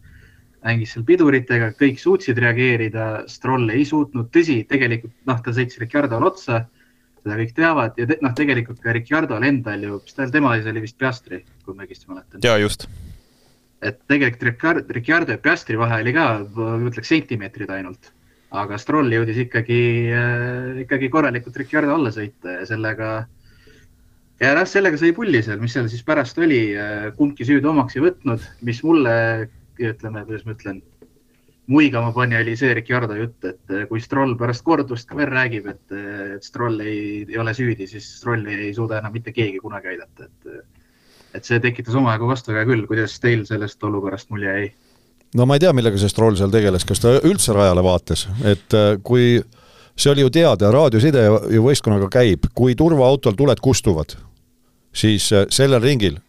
mängis seal piduritega, kõik suutsid reageerida, Stroll ei suutnud, tõsi, tegelikult noh, ta sõitsi Ricciardole otsa, seda kõik teavad ja te, noh, tegelikult ka Ricciardole endal ju, mis tal tema oli vist Piastri, kui ma õigesti mäletan. Ja just. Et tegelikult Ricciardo ja Piastri vahe oli ka, ütleks sentimeetrid ainult, aga Stroll jõudis ikkagi, äh, ikkagi korralikult Ricciardo alla sõita ja sellega ja noh, sellega sai pulli seal, mis seal siis pärast oli, kumbki süüd omaks ei võtnud, mis mulle, ütleme, kuidas ma ütlen, muigama pani oli see Ricciardo jutt, et kui Stroll pärast kordust ka veel räägib, et, et Stroll ei, ei ole süüdi, siis Strolli ei suuda enam mitte keegi kunagi aidata. Et, et see tekitas omajagu vastuväe küll, kuidas teil sellest olukorrast mulje jäi? No ma ei tea, millega see Stroll seal tegeles, kas ta üldse rajale vaates, et kui see oli ju teada, raadioside ju võistkonnaga käib, kui turvaautol tuled kustuvad, siis sellel ringil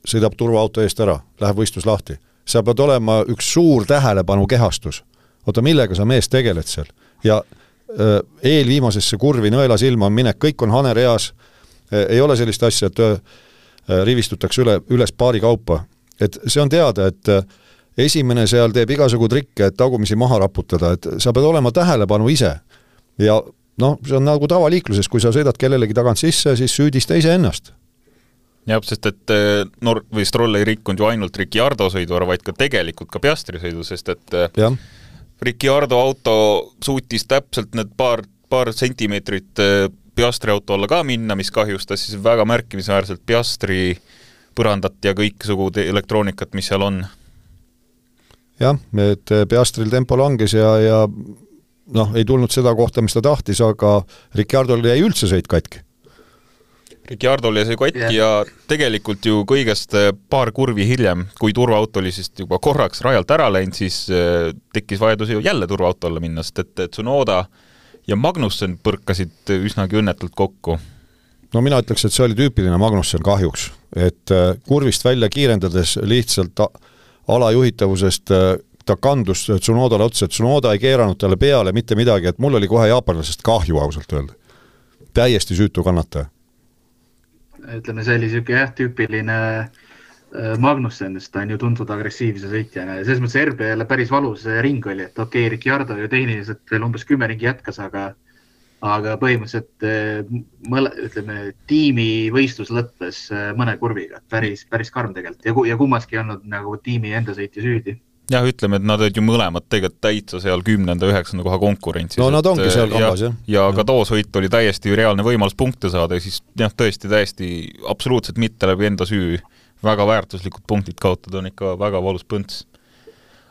sõidab turvaauto eest ära, läheb võistlus lahti. Sa pead olema üks suur tähelepanu kehastus. Oota, millega sa mees tegeled seal? Ja äh, eelviimasesse kurvi nõela silma on minek, kõik on haner eas, äh, ei ole sellist asja, et äh, rivistutakse üle, üles paari kaupa. Et see on teada, et äh, esimene seal teeb igasugu trikke, et tagumisi maha raputada, et sa pead olema tähelepanu ise. Ja noh, see on nagu tavaliikluses, kui sa sõidad kellelegi tagant sisse, siis süüdista ise ennast. Jah, sest et Nor- või Stroll ei rikkunud ju ainult Ricciardo sõidu, vaid ka tegelikult ka Piastri sõidu, sest et ja. Ricciardo auto suutis täpselt need paar, paar sentimeetrit Piastri auto alla ka minna, mis kahjustas siis väga märkimisväärselt Piastri põrandat ja kõiksugu elektroonikat, mis seal on. Jah, et Piastril tempo langes ja, ja noh, ei tulnud seda kohta, mis ta tahtis, aga Ricciardol jäi üldse sõit katki. Ricciardol jäi see katki yeah. ja tegelikult ju kõigest paar kurvi hiljem, kui turvaauto oli siis juba korraks rajalt ära läinud, siis tekkis vajadus ju jälle turvaauto alla minna, sest et Tsunoda ja Magnussen põrkasid üsnagi õnnetult kokku. No mina ütleks, et see oli tüüpiline Magnussen kahjuks, et kurvist välja kiirendades lihtsalt alajuhitavusest ta kandus Tsunodale otsa, et Tsunoda ei keeranud talle peale mitte midagi, et mul oli kohe jaapanlasest kahju ausalt öelda. Täiesti süütu kannataja. Ütleme, see oli siuke jah, tüüpiline Magnussen, sest ta on ju tuntud agressiivse sõitjana ja selles mõttes R B-le päris valus ring oli, et okei, okay, Ricciardo ju tehniliselt veel umbes kümme ringi jätkas, aga aga põhimõtteliselt mõle, ütleme, tiimi võistlus lõppes mõne kurviga, päris, päris karm tegelikult ja, ja kummaski ei olnud nagu tiimi enda sõitja süüdi. Jah, ütleme, et nad olid ju mõlemad tegelikult täitsa seal kümnenda, üheksanda koha konkurentsis. No nad ongi seal kambas, jah. Ja, ja ka too sõit oli täiesti reaalne võimalus punkte saada ja siis jah, tõesti täiesti absoluutselt mitte läbi enda süü. Väga väärtuslikud punktid kaotada on ikka väga valus põnts.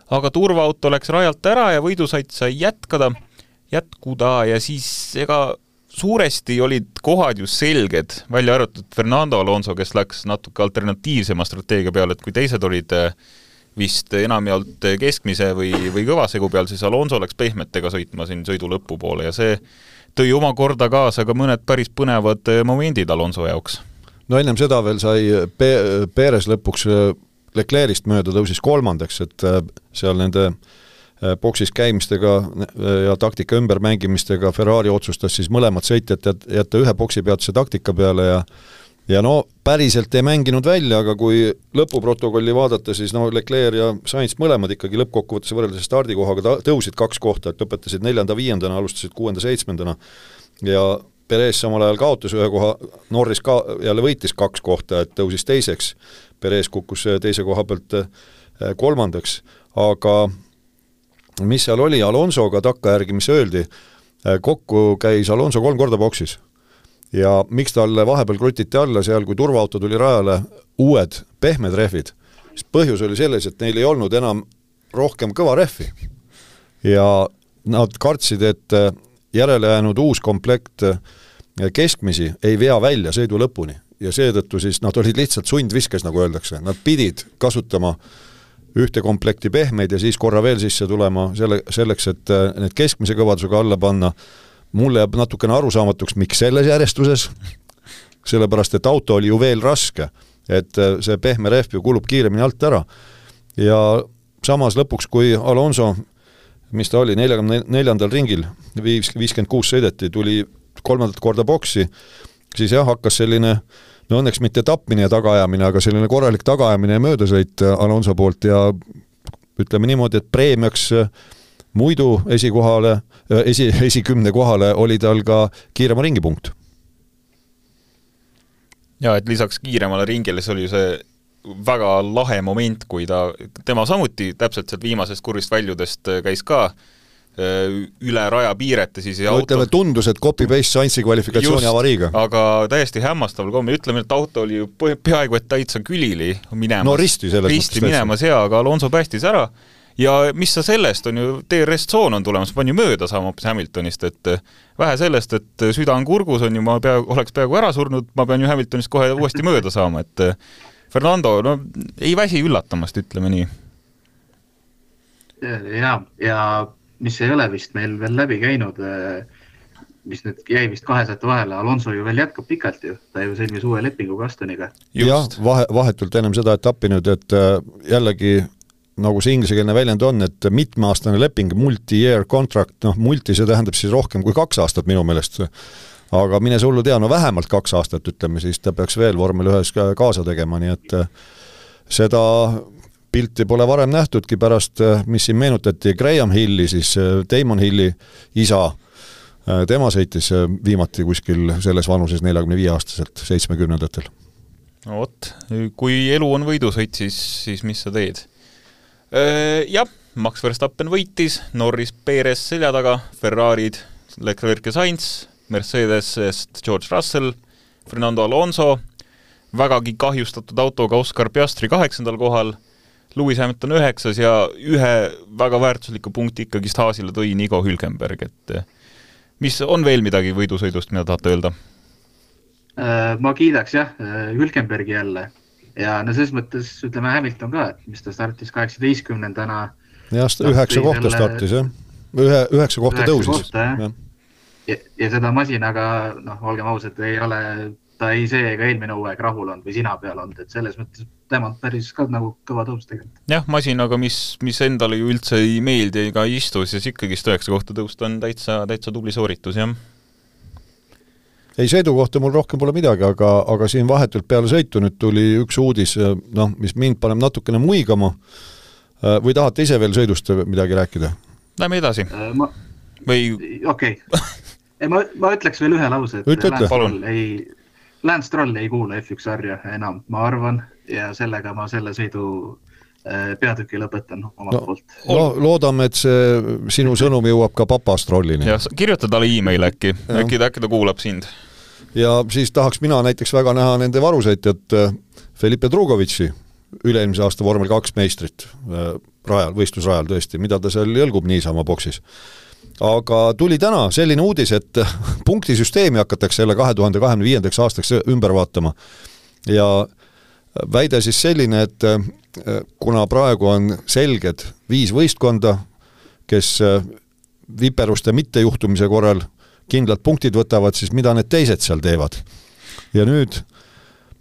Aga turvaauto läks rajalt ära ja võidusait sai jätkada, jätkuda ja siis ega suuresti olid kohad ju selged, välja arvatud Fernando Alonso, kes läks natuke alternatiivsema strateegia peale, et kui teised olid vist enamjaolt keskmise või, või kõvasegu peal, siis Alonso läks pehmetega sõitma siin sõidu lõpu poole ja see tõi oma korda kaasa ka mõned päris põnevad momendid Alonso jaoks. No ennem seda veel sai Pe- Perez lõpuks Leclerc'ist mööda tõusis kolmandaks, et seal nende boksis käimistega ja taktika ümbermängimistega Ferrari otsustas siis mõlemad sõitjad jätta ühe boksi peatuse taktika peale ja ja no päriselt ei mänginud välja, aga kui lõpuprotokolli vaadata, siis no Leclerc ja Sainz mõlemad ikkagi lõppkokkuvõttes võrreldes stardikohaga tõusid kaks kohta, et lõpetasid neljanda viiendana, alustasid kuuenda seitsmendana ja Perez samal ajal kaotas ühe koha, Norris ka, jälle võitis kaks kohta, et tõusis teiseks, Perez kukkus teise koha pealt kolmandaks, aga mis seal oli Alonsoga takka järgi, mis öeldi, kokku käis Alonso kolm korda boksis. Ja miks talle vahepeal krutiti alla seal, kui turvaauto tuli rajale uued pehmed rehvid, siis põhjus oli selles, et neil ei olnud enam rohkem kõva rehvi. Ja nad kartsid, et järele jäänud uus komplekt keskmisi ei vea välja sõidu lõpuni. Ja seetõttu siis nad olid lihtsalt sundviskes, nagu öeldakse. Nad pidid kasutama ühte komplekti pehmeid ja siis korra veel sisse tulema selle, selleks, et need keskmise kõvadusega alla panna. Mulle jääb natukene arusaamatuks, miks selles järjestuses, sellepärast, et auto oli ju veel raske, et see pehme rehv ju kulub kiiremini alt ära. Ja samas lõpuks, kui Alonso, mis ta oli, neljandal ringil, viiskümmend kuus sõideti, tuli kolmandat korda boksi siis jah, hakkas selline, no õnneks mitte tapmine ja tagaajamine, aga selline korralik tagaajamine ja möödasõit Alonso poolt ja ütleme niimoodi, et preemiaks muidu esikohale, esi, esikümne kohale oli tal ka kiirema ringipunkt. Ja, et lisaks kiiremale ringile see oli see väga lahe moment, kui ta, tema samuti täpselt sealt viimasest kurvist väljudest käis ka üle raja piirete siis ja no, auto... ütleme, tundus, et copy-paste Sainzi kvalifikatsiooni Just, avariiga. Aga täiesti hämmastaval komme. Ütleme, et auto oli peaaegu, et täitsa külili minemas. No risti selles risti mõttes. Minemas, jaa, aga Alonso päästis ära. Ja mis sa sellest on ju, D R S-tsoon on tulemas, ma on ju mööda saama hoopis Hamiltonist, et vähe sellest, et süda on kurgus, on ju, ma peaaegu, oleks peaaegu ära surnud, ma pean ju Hamiltonist kohe uuesti mööda saama, et Fernando, no ei väsi üllatamast, ütleme nii. Ja, ja mis ei ole vist meil veel läbi käinud, mis nüüd jäi vist kahesete vahele, Alonso ju veel jätkab pikalt ju, ta ju sõlmis uue lepingu Gastoniga. Jah, vahe, vahetult ennem seda etappi nüüd, et jällegi nagu see ingliskeelne väljend on, et mitmeaastane leping, multi-year contract, noh, multi see tähendab siis rohkem kui kaks aastat minu meelest, aga mine see hullu tea, no vähemalt kaks aastat, ütleme, siis ta peaks veel vormel ühes kaasa tegema, nii et seda pilti pole varem nähtudki pärast, mis siin meenutati Graham Hilli, siis Damon Hilli isa, tema sõitis viimati kuskil selles vanuses neljakümne viie aastaselt, seitsmekümnendatel. No vot, kui elu on võidusõit, siis, siis mis sa teed? Jah, Max Verstappen võitis, Norris Perez selja taga, Ferrarid, Leclerc ja Sainz, Mercedesest George Russell, Fernando Alonso, vägagi kahjustatud autoga Oscar Piastri kaheksandal kohal, Lewis Hamilton üheksas ja ühe väga väärtusliku punkti ikkagi Haasile tõi Nico Hülkenberg, et mis on veel midagi võidusõidust, mida tahate öelda? Ma kiidaks jah, Hülkenbergi jälle. Ja no selles mõttes, ütleme Hamilton ka, et mis ta startis kaheksateistkümnendana. Ja üheksa kohta startis, jah. Ühe, üheksa kohta tõusis. Ja. Ja, ja seda masinaga, noh, olgem ausad, ei ole, ta ei see ega eelmine uueg rahul on või sina peal on, et selles mõttes temalt päris ka nagu kõva tõus tegelikult. Jah, masinaga, mis, mis endale ju üldse ei meeldi ega istu, siis ikkagi üheksa kohta tõust on täitsa, täitsa tubli sooritus, jah. Ei, sõidu kohta mul rohkem pole midagi, aga, aga siin vahetult peale sõitu nüüd tuli üks uudis, noh, mis mind paneb natukene muigama. Või tahate ise veel sõidust midagi rääkida? Lähme edasi. Ma... Või... Okei. Okay. Ma, ma ütleks veel ühe lause, et Ütle, Lance, Stroll ei, Lance Stroll ei kuule F üks sarja enam, ma arvan, ja sellega ma selle sõidu peatüki lõpetan omalt no, poolt. No, loodame, et see sinu sõnum jõuab ka papa Strollini. Ja kirjuta talle e-mail äkki, äkki ta, äkki ta kuulab sind. Ja siis tahaks mina näiteks väga näha nende varusõitjat Felipe Drugovitši, üle-eelmise aasta vormel kaks meistrit rajal, võistlusrajal tõesti, mida ta seal jõlgub niisama boksis. Aga tuli täna selline uudis, et punktisüsteemi hakatakse jälle kahe tuhande kahekümne viiendaks aastaks ümber vaatama. Ja väide siis selline, et kuna praegu on selged viis võistkonda, kes viperuste mittejuhtumise korral kindlad punktid võtavad, siis mida need teised seal teevad. Ja nüüd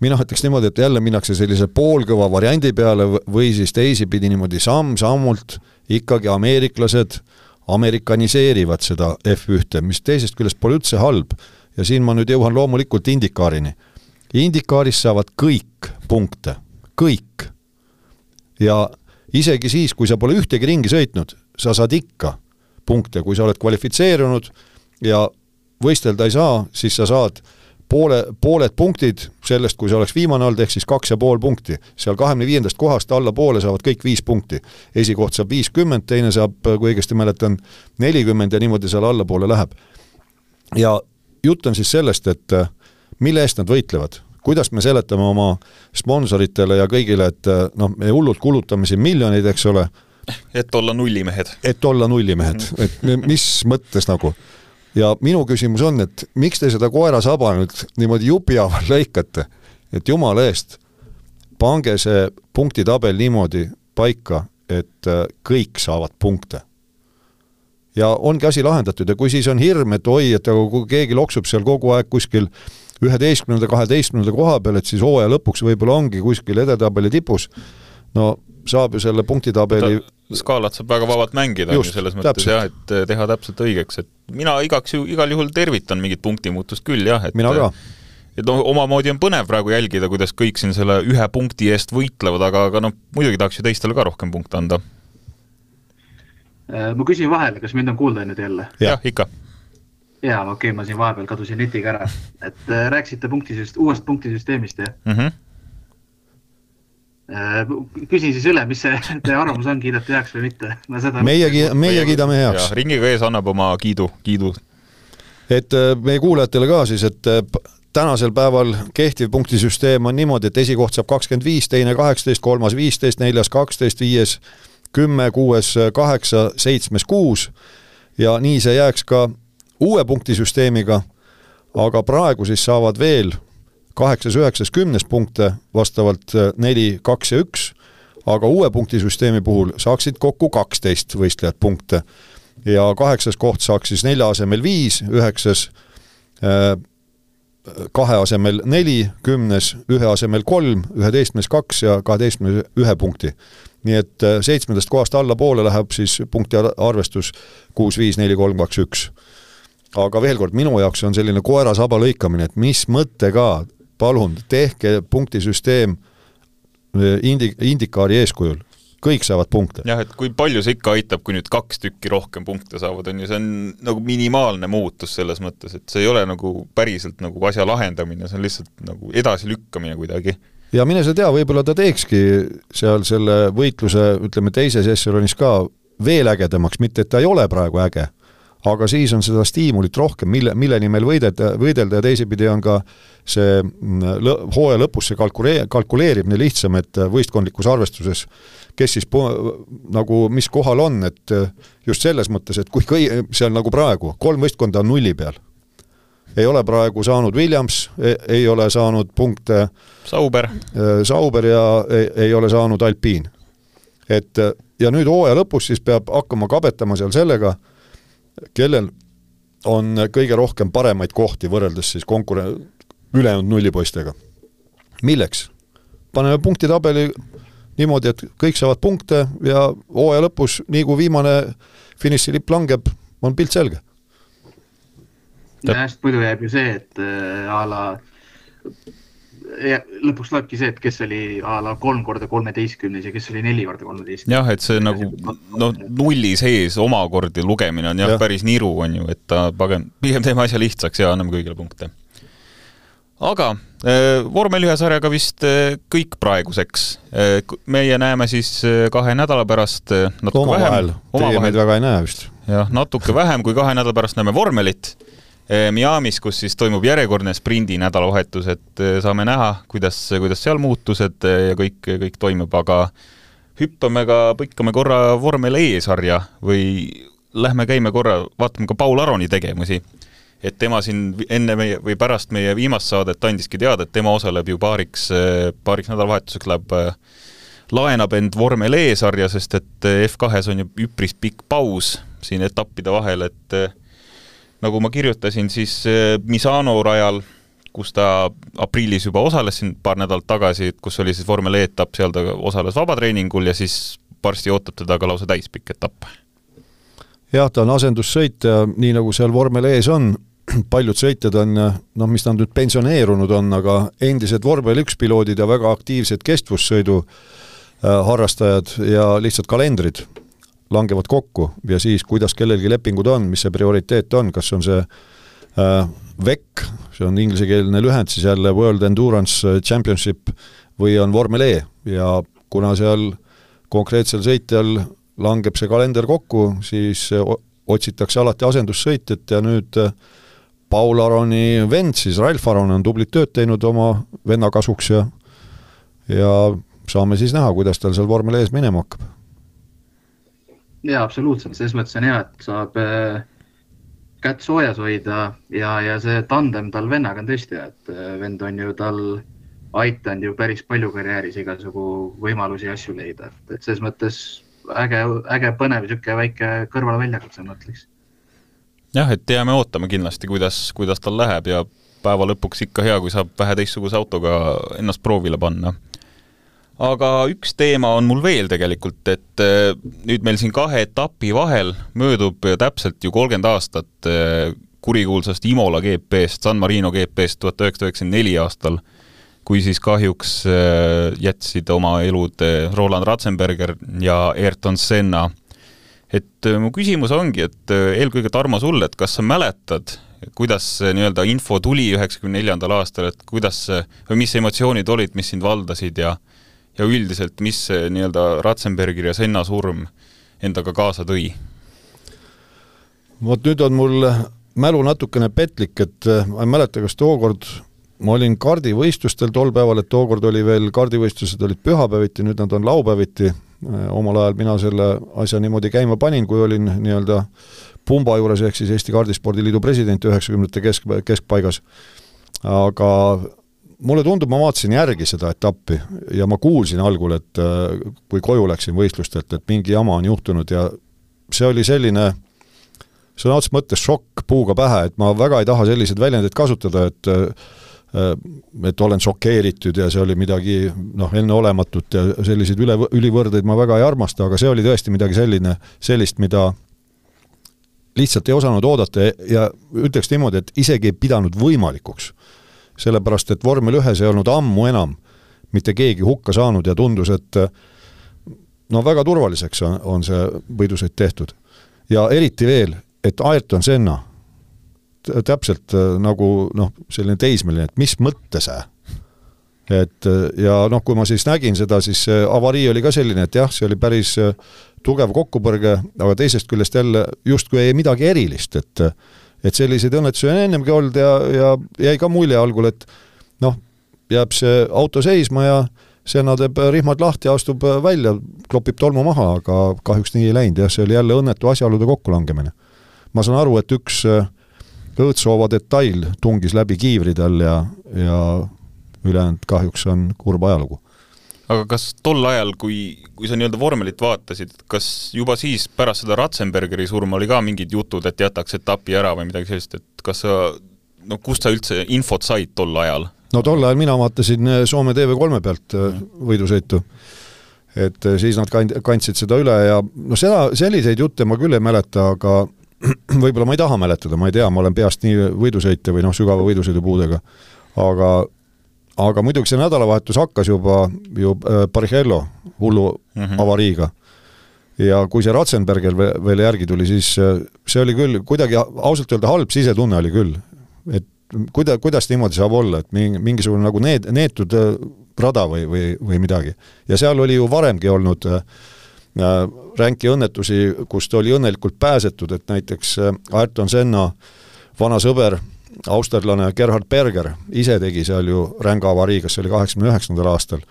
mina ütleks niimoodi, et jälle minnakse sellise poolkõva variandi peale või siis teisi pidi niimoodi samm-sammult ikkagi ameeriklased amerikaniseerivad seda F üks, mis teisest küljest pole üldse halb. Ja siin ma nüüd jõuan loomulikult indikaarini. Indikaaris saavad kõik punkte, kõik. Ja isegi siis, kui sa pole ühtegi ringi sõitnud, sa saad ikka punkte, kui sa oled kvalifitseerunud ja võistelda ei saa, siis sa saad poole, pooled punktid sellest, kui sa oleks viimane olnud, ehk siis kaks ja pool punkti. Seal kahekümne viiendast kohast alla poole saavad kõik viis punkti. Esikoht saab viiskümmend, teine saab, kui õigesti mäletan, nelikümmend ja niimoodi seal alla poole läheb. Ja jutt on siis sellest, et mille eest nad võitlevad. Kuidas me seletame oma sponsoritele ja kõigile, et noh, me hullult kulutame siin miljoneid, eks ole. Et olla nullimehed. Et olla nullimehed. Et mis mõttes nagu. Ja minu küsimus on, et miks te seda koera saba nüüd niimoodi jupiaval lõikate, et jumala eest pange see punktitabel niimoodi paika, et kõik saavad punkte. Ja ongi asi lahendatud ja kui siis on hirm, et oi, et kui keegi loksub seal kogu aeg kuskil üheteistkümnenda, kaheteistkümnenda koha peal, et siis hooaja lõpuks võib-olla ongi kuskil edetabeli tipus, no saab ju selle punktitabeli... Skaalat saab väga vabalt mängida Just, selles mõttes, jah, et teha täpselt õigeks. Et mina igaks ju, igal juhul tervitan mingit punktimuutust küll, jah. Et, mina ka. et no omamoodi on põnev praegu jälgida, kuidas kõik siin selle ühe punkti eest võitlevad, aga, aga no muidugi tahaks ju teistele ka rohkem punkte anda. Ma küsin vahele, kas mind on kuulda nüüd jälle? Jah, ikka. Jaa, okei, okay, ma siin vahepeal kadusin netiga ära. Et rääksite punktisüst, uuest punktisüsteemist, jah? Mm-hmm. Küsin siis üle, mis see teie arvamus on, kiidate heaks või mitte? Meie, meie kiidame heaks. Ja, ringiga ees annab oma kiidu, kiidu. Et meie kuulajatele ka siis, et tänasel päeval kehtiv punktisüsteem on niimoodi, et esikoht saab kakskümmend viis, teine kaheksateist, kolmas viisteist, neljas kaksteist, viies kümme, kuues kaheksa, seitsmes kuus ja nii see jääks ka uue punktisüsteemiga, aga praegu siis saavad veel kaheksas, üheksas, kümnes punkte vastavalt neli, kaks ja üks, aga uue punktisüsteemi puhul saaksid kokku kaksteist võistlejat punkte ja kaheksas koht saaks siis nelja asemel viis, üheksas kahe asemel neli, kümnes ühe asemel kolm, üheteistkümnes kaks ja kaheteistkümnes ühe punkti. Nii et seitsmendast kohast alla poole läheb siis punkti arvestus kuus, viis, neli, kolm, kaks, üks. Aga veel kord, minu jaoks on selline koera saba lõikamine, et mis mõttega, palun, tehke punktisüsteem indi, indikaari eeskujul. Kõik saavad punkte. Jah, et kui palju see ikka aitab, kui nüüd kaks tükki rohkem punkte saavad, on ju, see on nagu minimaalne muutus selles mõttes, et see ei ole nagu päriselt nagu asja lahendamine, see on lihtsalt nagu edasi lükkamine kuidagi. Ja mine sa tea, võib-olla ta teekski seal selle võitluse, ütleme, teises ešelonis ka veel ägedamaks, mitte et ta ei ole praegu äge, aga siis on seda stiimulit rohkem, mille, mille nimel võidelda, võidelda ja teisipidi on ka see lõ, hooaja lõpus see kalkuleerib, kalkuleerib nii lihtsam, et võistkondlikus arvestuses, kes siis po, nagu mis kohal on, et just selles mõttes, et kui kõi, see on nagu praegu, kolm võistkonda on nulli peal. Ei ole praegu saanud Williams, ei, ei ole saanud punkte Sauber, Sauber ja ei, ei ole saanud Alpine. Et, ja nüüd hooaja lõpus siis peab hakkama kabetama seal sellega, kellel on kõige rohkem paremaid kohti võrreldes siis konkure- ülejäänud nullipoistega. Milleks? Paneme punktitabeli niimoodi, et kõik saavad punkte ja hooaja lõpus, nii kui viimane finišilipp langeb, on pilt selge. Ja hästi muidu jääb ju see, et a la ja, lõpuks loebki see, et kes oli a la kolm korda kolmeteistkümnes ja kes oli neli korda kolmeteistkümnes. Jah, et see nagu no, nulli sees omakordi lugemine on jah, ja. Päris niru on ju, et ta pagem, pigem teeme asja lihtsaks ja anname kõigile punkte. Aga äh, vormel ühe sarjaga vist äh, kõik praeguseks. Äh, meie näeme siis äh, kahe nädala pärast äh, natuke oma vähem. Vahel. Teie meid väga ei näe vist. Jah, natuke vähem kui kahe nädala pärast näeme vormelit. Miamis, kus siis toimub järjekordne sprindi nädalavahetus, et saame näha, kuidas, kuidas seal muutused ja kõik, kõik toimub, aga hüppame ka, põikame korra vormel E-sarja või lähme käime korra, vaatame ka Paul Aroni tegemusi. Et tema siin enne meie või pärast meie viimast saadet andiski teada, et tema osaleb ju paariks, paariks nädalavahetuseks läheb, laenab end vormel E-sarja, sest et F kahes on ju üpris pikk paus siin etappide vahel, et nagu ma kirjutasin, siis Misano rajal, kus ta aprillis juba osales siin paar nädalat tagasi, kus oli siis vormel E-etapp, seal ta osales vabatreeningul ja siis varsti ootab teda ka lausa täispikk etapp. Jah, ta on asendussõit ja nii nagu seal vormel ees on, paljud sõitjad on, noh, mis ta on nüüd pensioneerunud on, aga endised vormel üks piloodid ja väga aktiivsed kestvussõidu harrastajad ja lihtsalt kalendrid langevad kokku ja siis, kuidas kellelgi lepingud on, mis see prioriteet on, kas on see äh, V E C, see on inglisekeelne lühend, siis jälle World Endurance Championship või on vormel E ja kuna seal konkreetsel sõitjal langeb see kalender kokku, siis otsitakse alati asendussõitjat ja nüüd Paul Aroni vend, siis Ralf Aron on tublit tööd teinud oma venna kasuks ja, ja saame siis näha, kuidas tal seal vormel ees minema hakkab. Jaa, absoluutselt, selles mõttes on hea, et saab äh, kätt soojas hoida ja, ja see tandem tal vennaga on tõesti, et äh, vend on ju tal aitanud ju päris palju karjääris igasugu võimalusi ja asju leida, et, et selles mõttes äge, äge põnev süke väike kõrvale väljakutse mõtleks. Jah, et jääme ootame kindlasti, kuidas, kuidas tal läheb ja päeva lõpuks ikka hea, kui saab vähe teistsuguse autoga ennast proovile panna. Aga üks teema on mul veel tegelikult, et nüüd meil siin kahe etapi vahel möödub täpselt ju kolmkümmend aastat kurikuulsast Imola G P-st, San Marino G P-st tuhat üheksasada üheksakümmend neli aastal, kui siis kahjuks jätsid oma elud Roland Ratzenberger ja Ayrton Senna. Et mu küsimus ongi, et eelkõige Tarmo sulle, et kas sa mäletad, kuidas nii-öelda info tuli üheksakümne neljandal aastal, et kuidas, või mis emotsioonid olid, mis sind valdasid ja, ja üldiselt, mis nii-öelda Ratzenberger ja Senna surm endaga kaasa tõi? Vot nüüd on mul mälu natukene petlik, et ma ei mäleta, kas tookord ma olin kardivõistlustel tol päeval, et tookord oli veel kardivõistlused olid pühapäeviti, nüüd nad on laupäeviti. Omal ajal mina selle asja niimoodi käima panin, kui olin nii-öelda Pumba juures, ehk siis Eesti Kardispordiliidu president üheksakümnendate kesk, keskpaigas. Aga mulle tundub, ma vaatasin järgi seda etappi ja ma kuulsin algul, et kui koju läksin võistlustelt, et mingi jama on juhtunud ja see oli selline sõna otseses mõttes šokk puuga pähe, et ma väga ei taha selliseid väljendeid kasutada, et et olen šokeeritud ja see oli midagi noh, enneolematut ja selliseid üle, ülivõrdeid ma väga ei armasta, aga see oli tõesti midagi selline, sellist, mida lihtsalt ei osanud oodata ja ütleks niimoodi, et isegi ei pidanud võimalikuks. Sellepärast, et vormel ühes ei olnud ammu enam mitte keegi hukka saanud ja tundus, et no väga turvaliseks on, on see võidusõit tehtud. Ja eriti veel, et Ayrton Senna täpselt nagu noh, selline teismeline, et mis mõtte see? Et, ja noh, kui ma siis nägin seda, siis avarii oli ka selline, et jah, see oli päris tugev kokkupõrge, aga teisest küljest jälle justkui ei midagi erilist, et, et selliseid õnnetusi on ennemgi olnud ja, ja jäi ka mulje algul, et noh, jääb see auto seisma ja Senna teeb rihmad lahti ja astub välja, klopib tolmu maha, aga kahjuks nii ei läinud ja see oli jälle õnnetu asjaolude kokkulangemine. Ma saan aru, et üks õõtsoova detail tungis läbi kiivridel ja, ja ülejäänud kahjuks on kurb ajalugu. Aga kas tol ajal, kui, kui sa nii-öelda vormelit vaatasid, kas juba siis pärast seda Ratzenbergeri surma oli ka mingid jutud, et jätaks etapi ära või midagi sellist, et kas sa, no kust sa üldse infot said tol ajal? No tol ajal mina vaatasin Soome T V kolme pealt võidusõitu, et siis nad kandsid seda üle ja no seda, selliseid jutte ma küll ei mäleta, aga võib-olla ma ei taha mäletada, ma ei tea, ma olen peast nii võidusõite või noh, sügava võidusõidupuudega, aga, aga muidugi see nädalavahetus hakkas juba ju Barrichello hullu mm-hmm. avariiga ja kui see Ratzenberger veel järgi tuli, siis see oli küll kuidagi ausalt öelda halb sisetunne oli küll, et kuida, kuidas niimoodi saab olla, et mingisugune nagu need, neetud rada või, või, või midagi ja seal oli ju varemgi olnud ränki õnnetusi, kust oli õnnelikult pääsetud, et näiteks Ayrton Senna vana sõber, austerlane Gerhard Berger ise tegi seal ju ränga avariiga, see oli kaheksakümne üheksandal aastal.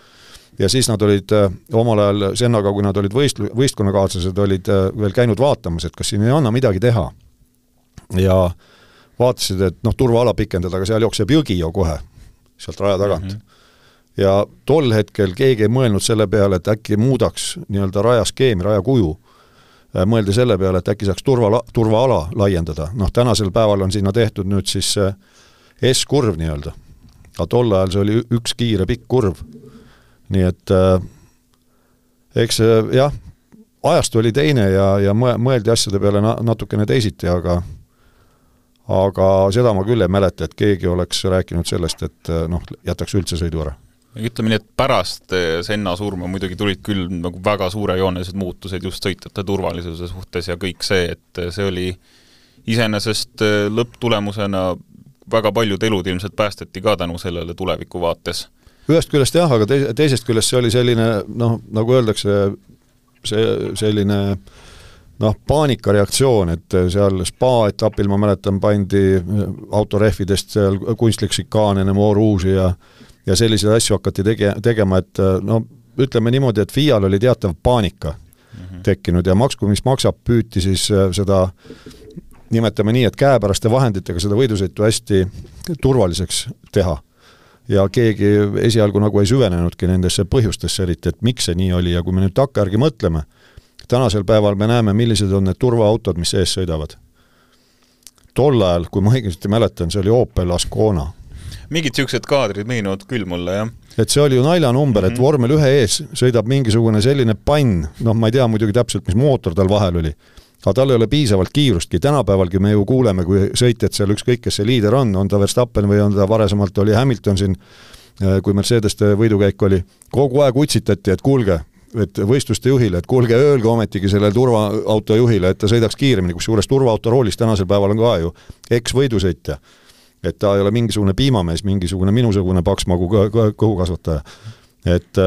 Ja siis nad olid omal ajal Sennaga, kui nad olid võistlu, võistkonnakaaslased, olid veel käinud vaatamas, et kas siin ei anna midagi teha. Ja vaatasid, et noh, turvaala pikendada, aga seal jookseb jõgi ju kohe sealt raja tagant. Mm-hmm. Ja tol hetkel keegi ei mõelnud selle peale, et äkki muudaks nii-öelda rajaskeemi, rajakuju. Mõeldi selle peale, et äkki saaks turva, turvaala laiendada. Noh, tänasel päeval on sinna tehtud nüüd siis S-kurv nii-öelda. Aga tol ajal see oli üks kiire pikk kurv. Nii et äh, eks jah, ajast oli teine ja, ja mõeldi asjade peale natukene teisiti, aga aga seda ma küll ei mäleta, et keegi oleks rääkinud sellest, et noh, jätaks üldse sõidu ära. Ütleme nii, et pärast Senna surma muidugi tulid küll nagu väga suurejoonelised muutused just sõitjate turvalisuse suhtes ja kõik see, et see oli iseenesest lõpptulemusena väga paljud elud ilmselt päästeti ka tänu sellele tuleviku vaates. Ühest küljest jah, aga teisest küljest see oli selline, noh, nagu öeldakse, see selline noh, paanikareaktsioon, et seal spa-etapil, ma mäletan, pandi autorehvidest seal kunstlik šikaan enne mooruusi ja ja selliseid asju hakati tege, tegema, et no ütleme niimoodi, et F I A-l oli teatav paanika mm-hmm. tekkinud ja maksku, mis maksab, püüti siis seda, nimetame nii, et käepäraste vahenditega seda võidusõitu hästi turvaliseks teha. Ja keegi esialgu nagu ei süvenenudki nendesse põhjustesse eriti, et miks see nii oli ja kui me nüüd takkajärgi mõtleme, tänasel päeval me näeme, millised on need turvaautod, mis ees sõidavad. Tol ajal, kui ma õigesti mäletan, see oli Opel Ascona. Mingid siuksed kaadrid meenuvad küll mulle, jah. Et see oli ju naljanumber, mm-hmm. et vormel ühe ees sõidab mingisugune selline pann, noh, ma ei tea muidugi täpselt, mis mootor tal vahel oli, aga tal ei ole piisavalt kiirustki. Tänapäevalgi me ju kuuleme, kui sõitjad seal ükskõik, kes see liider on, on ta Verstappen või on ta varasemalt oli Hamilton siin, kui Mercedeste võidukäik oli, kogu aeg utsitati, et kuulge, et võistluste juhile, et kuulge, öelge ometigi sellele turvaauto juhile, et ta sõidaks kiiremini, kus juures turvaauto roolis tänasel päeval on ka ju eks-võidusõitja. Et ta ei ole mingisugune piimamees, mingisugune minusugune paksmagu kõhukasvataja. Et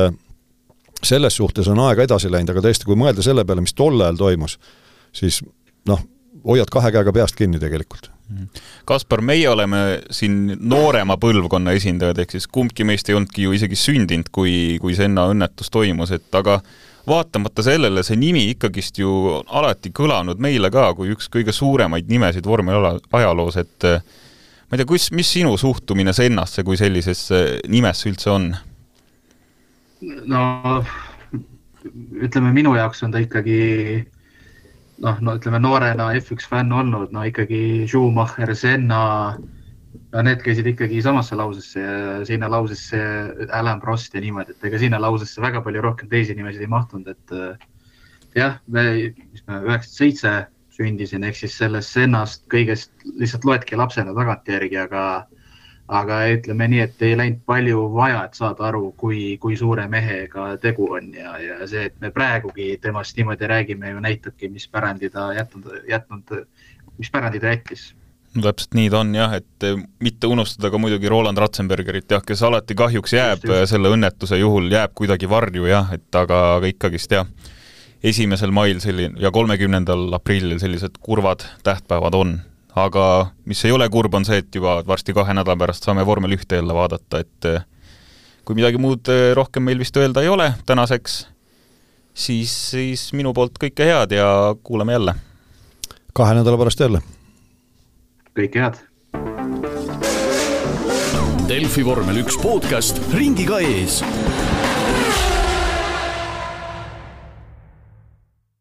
selles suhtes on aega edasi läinud, aga tõesti, kui mõelda selle peale, mis tol ajal toimus, siis noh, hoiad kahe käega peast kinni tegelikult. Kaspar, meie oleme siin noorema põlvkonna esindajad, ehk siis kumbki meist ei olnudki ju isegi sündinud, kui, kui Senna õnnetus toimus, et aga vaatamata sellele see nimi ikkagist ju alati kõlanud meile ka, kui üks kõige suuremaid nimesid vormel ajaloos, et ma ei tea, kus, mis sinu suhtumine Sennasse kui sellisesse nimesse üldse on? No ütleme, minu jaoks on ta ikkagi noh, no ütleme noorena F üks fänn olnud, no ikkagi Schumacher, Senna, no need käisid ikkagi samasse lausesse ja sinna lausesse Alain Prost ja niimoodi, et ega sinna lausesse väga palju rohkem teisi nimesid ei mahtunud, et jah, me, mis me üheksakümmend seitse sündisin, ehk siis sellest Sennast kõigest lihtsalt loedki lapsena tagantjärgi, aga aga ütleme nii, et ei läinud palju vaja, et saada aru, kui, kui suure mehega tegu on ja, ja see, et me praegugi temast niimoodi räägime ju näitabki, mis pärandi ta jätnud, jätnud, mis pärandi ta jättis. No täpselt nii ta on jah, et mitte unustada ka muidugi Roland Ratzenbergerit, jah, kes alati kahjuks jääb just, just. selle õnnetuse juhul, jääb kuidagi varju jah, et aga, aga ikkagist jah, esimesel mail selline, ja kolmekümnendal aprillil sellised kurvad tähtpäevad on. Aga mis ei ole kurb on see, et juba varsti kahe nädala pärast saame vormel ühte jälle vaadata, et kui midagi muud rohkem meil vist öelda ei ole tänaseks, siis, siis minu poolt kõike head ja kuuleme jälle. Kahe nädala pärast jälle. Kõike head. Delfi vormel üks podcast ringiga ees.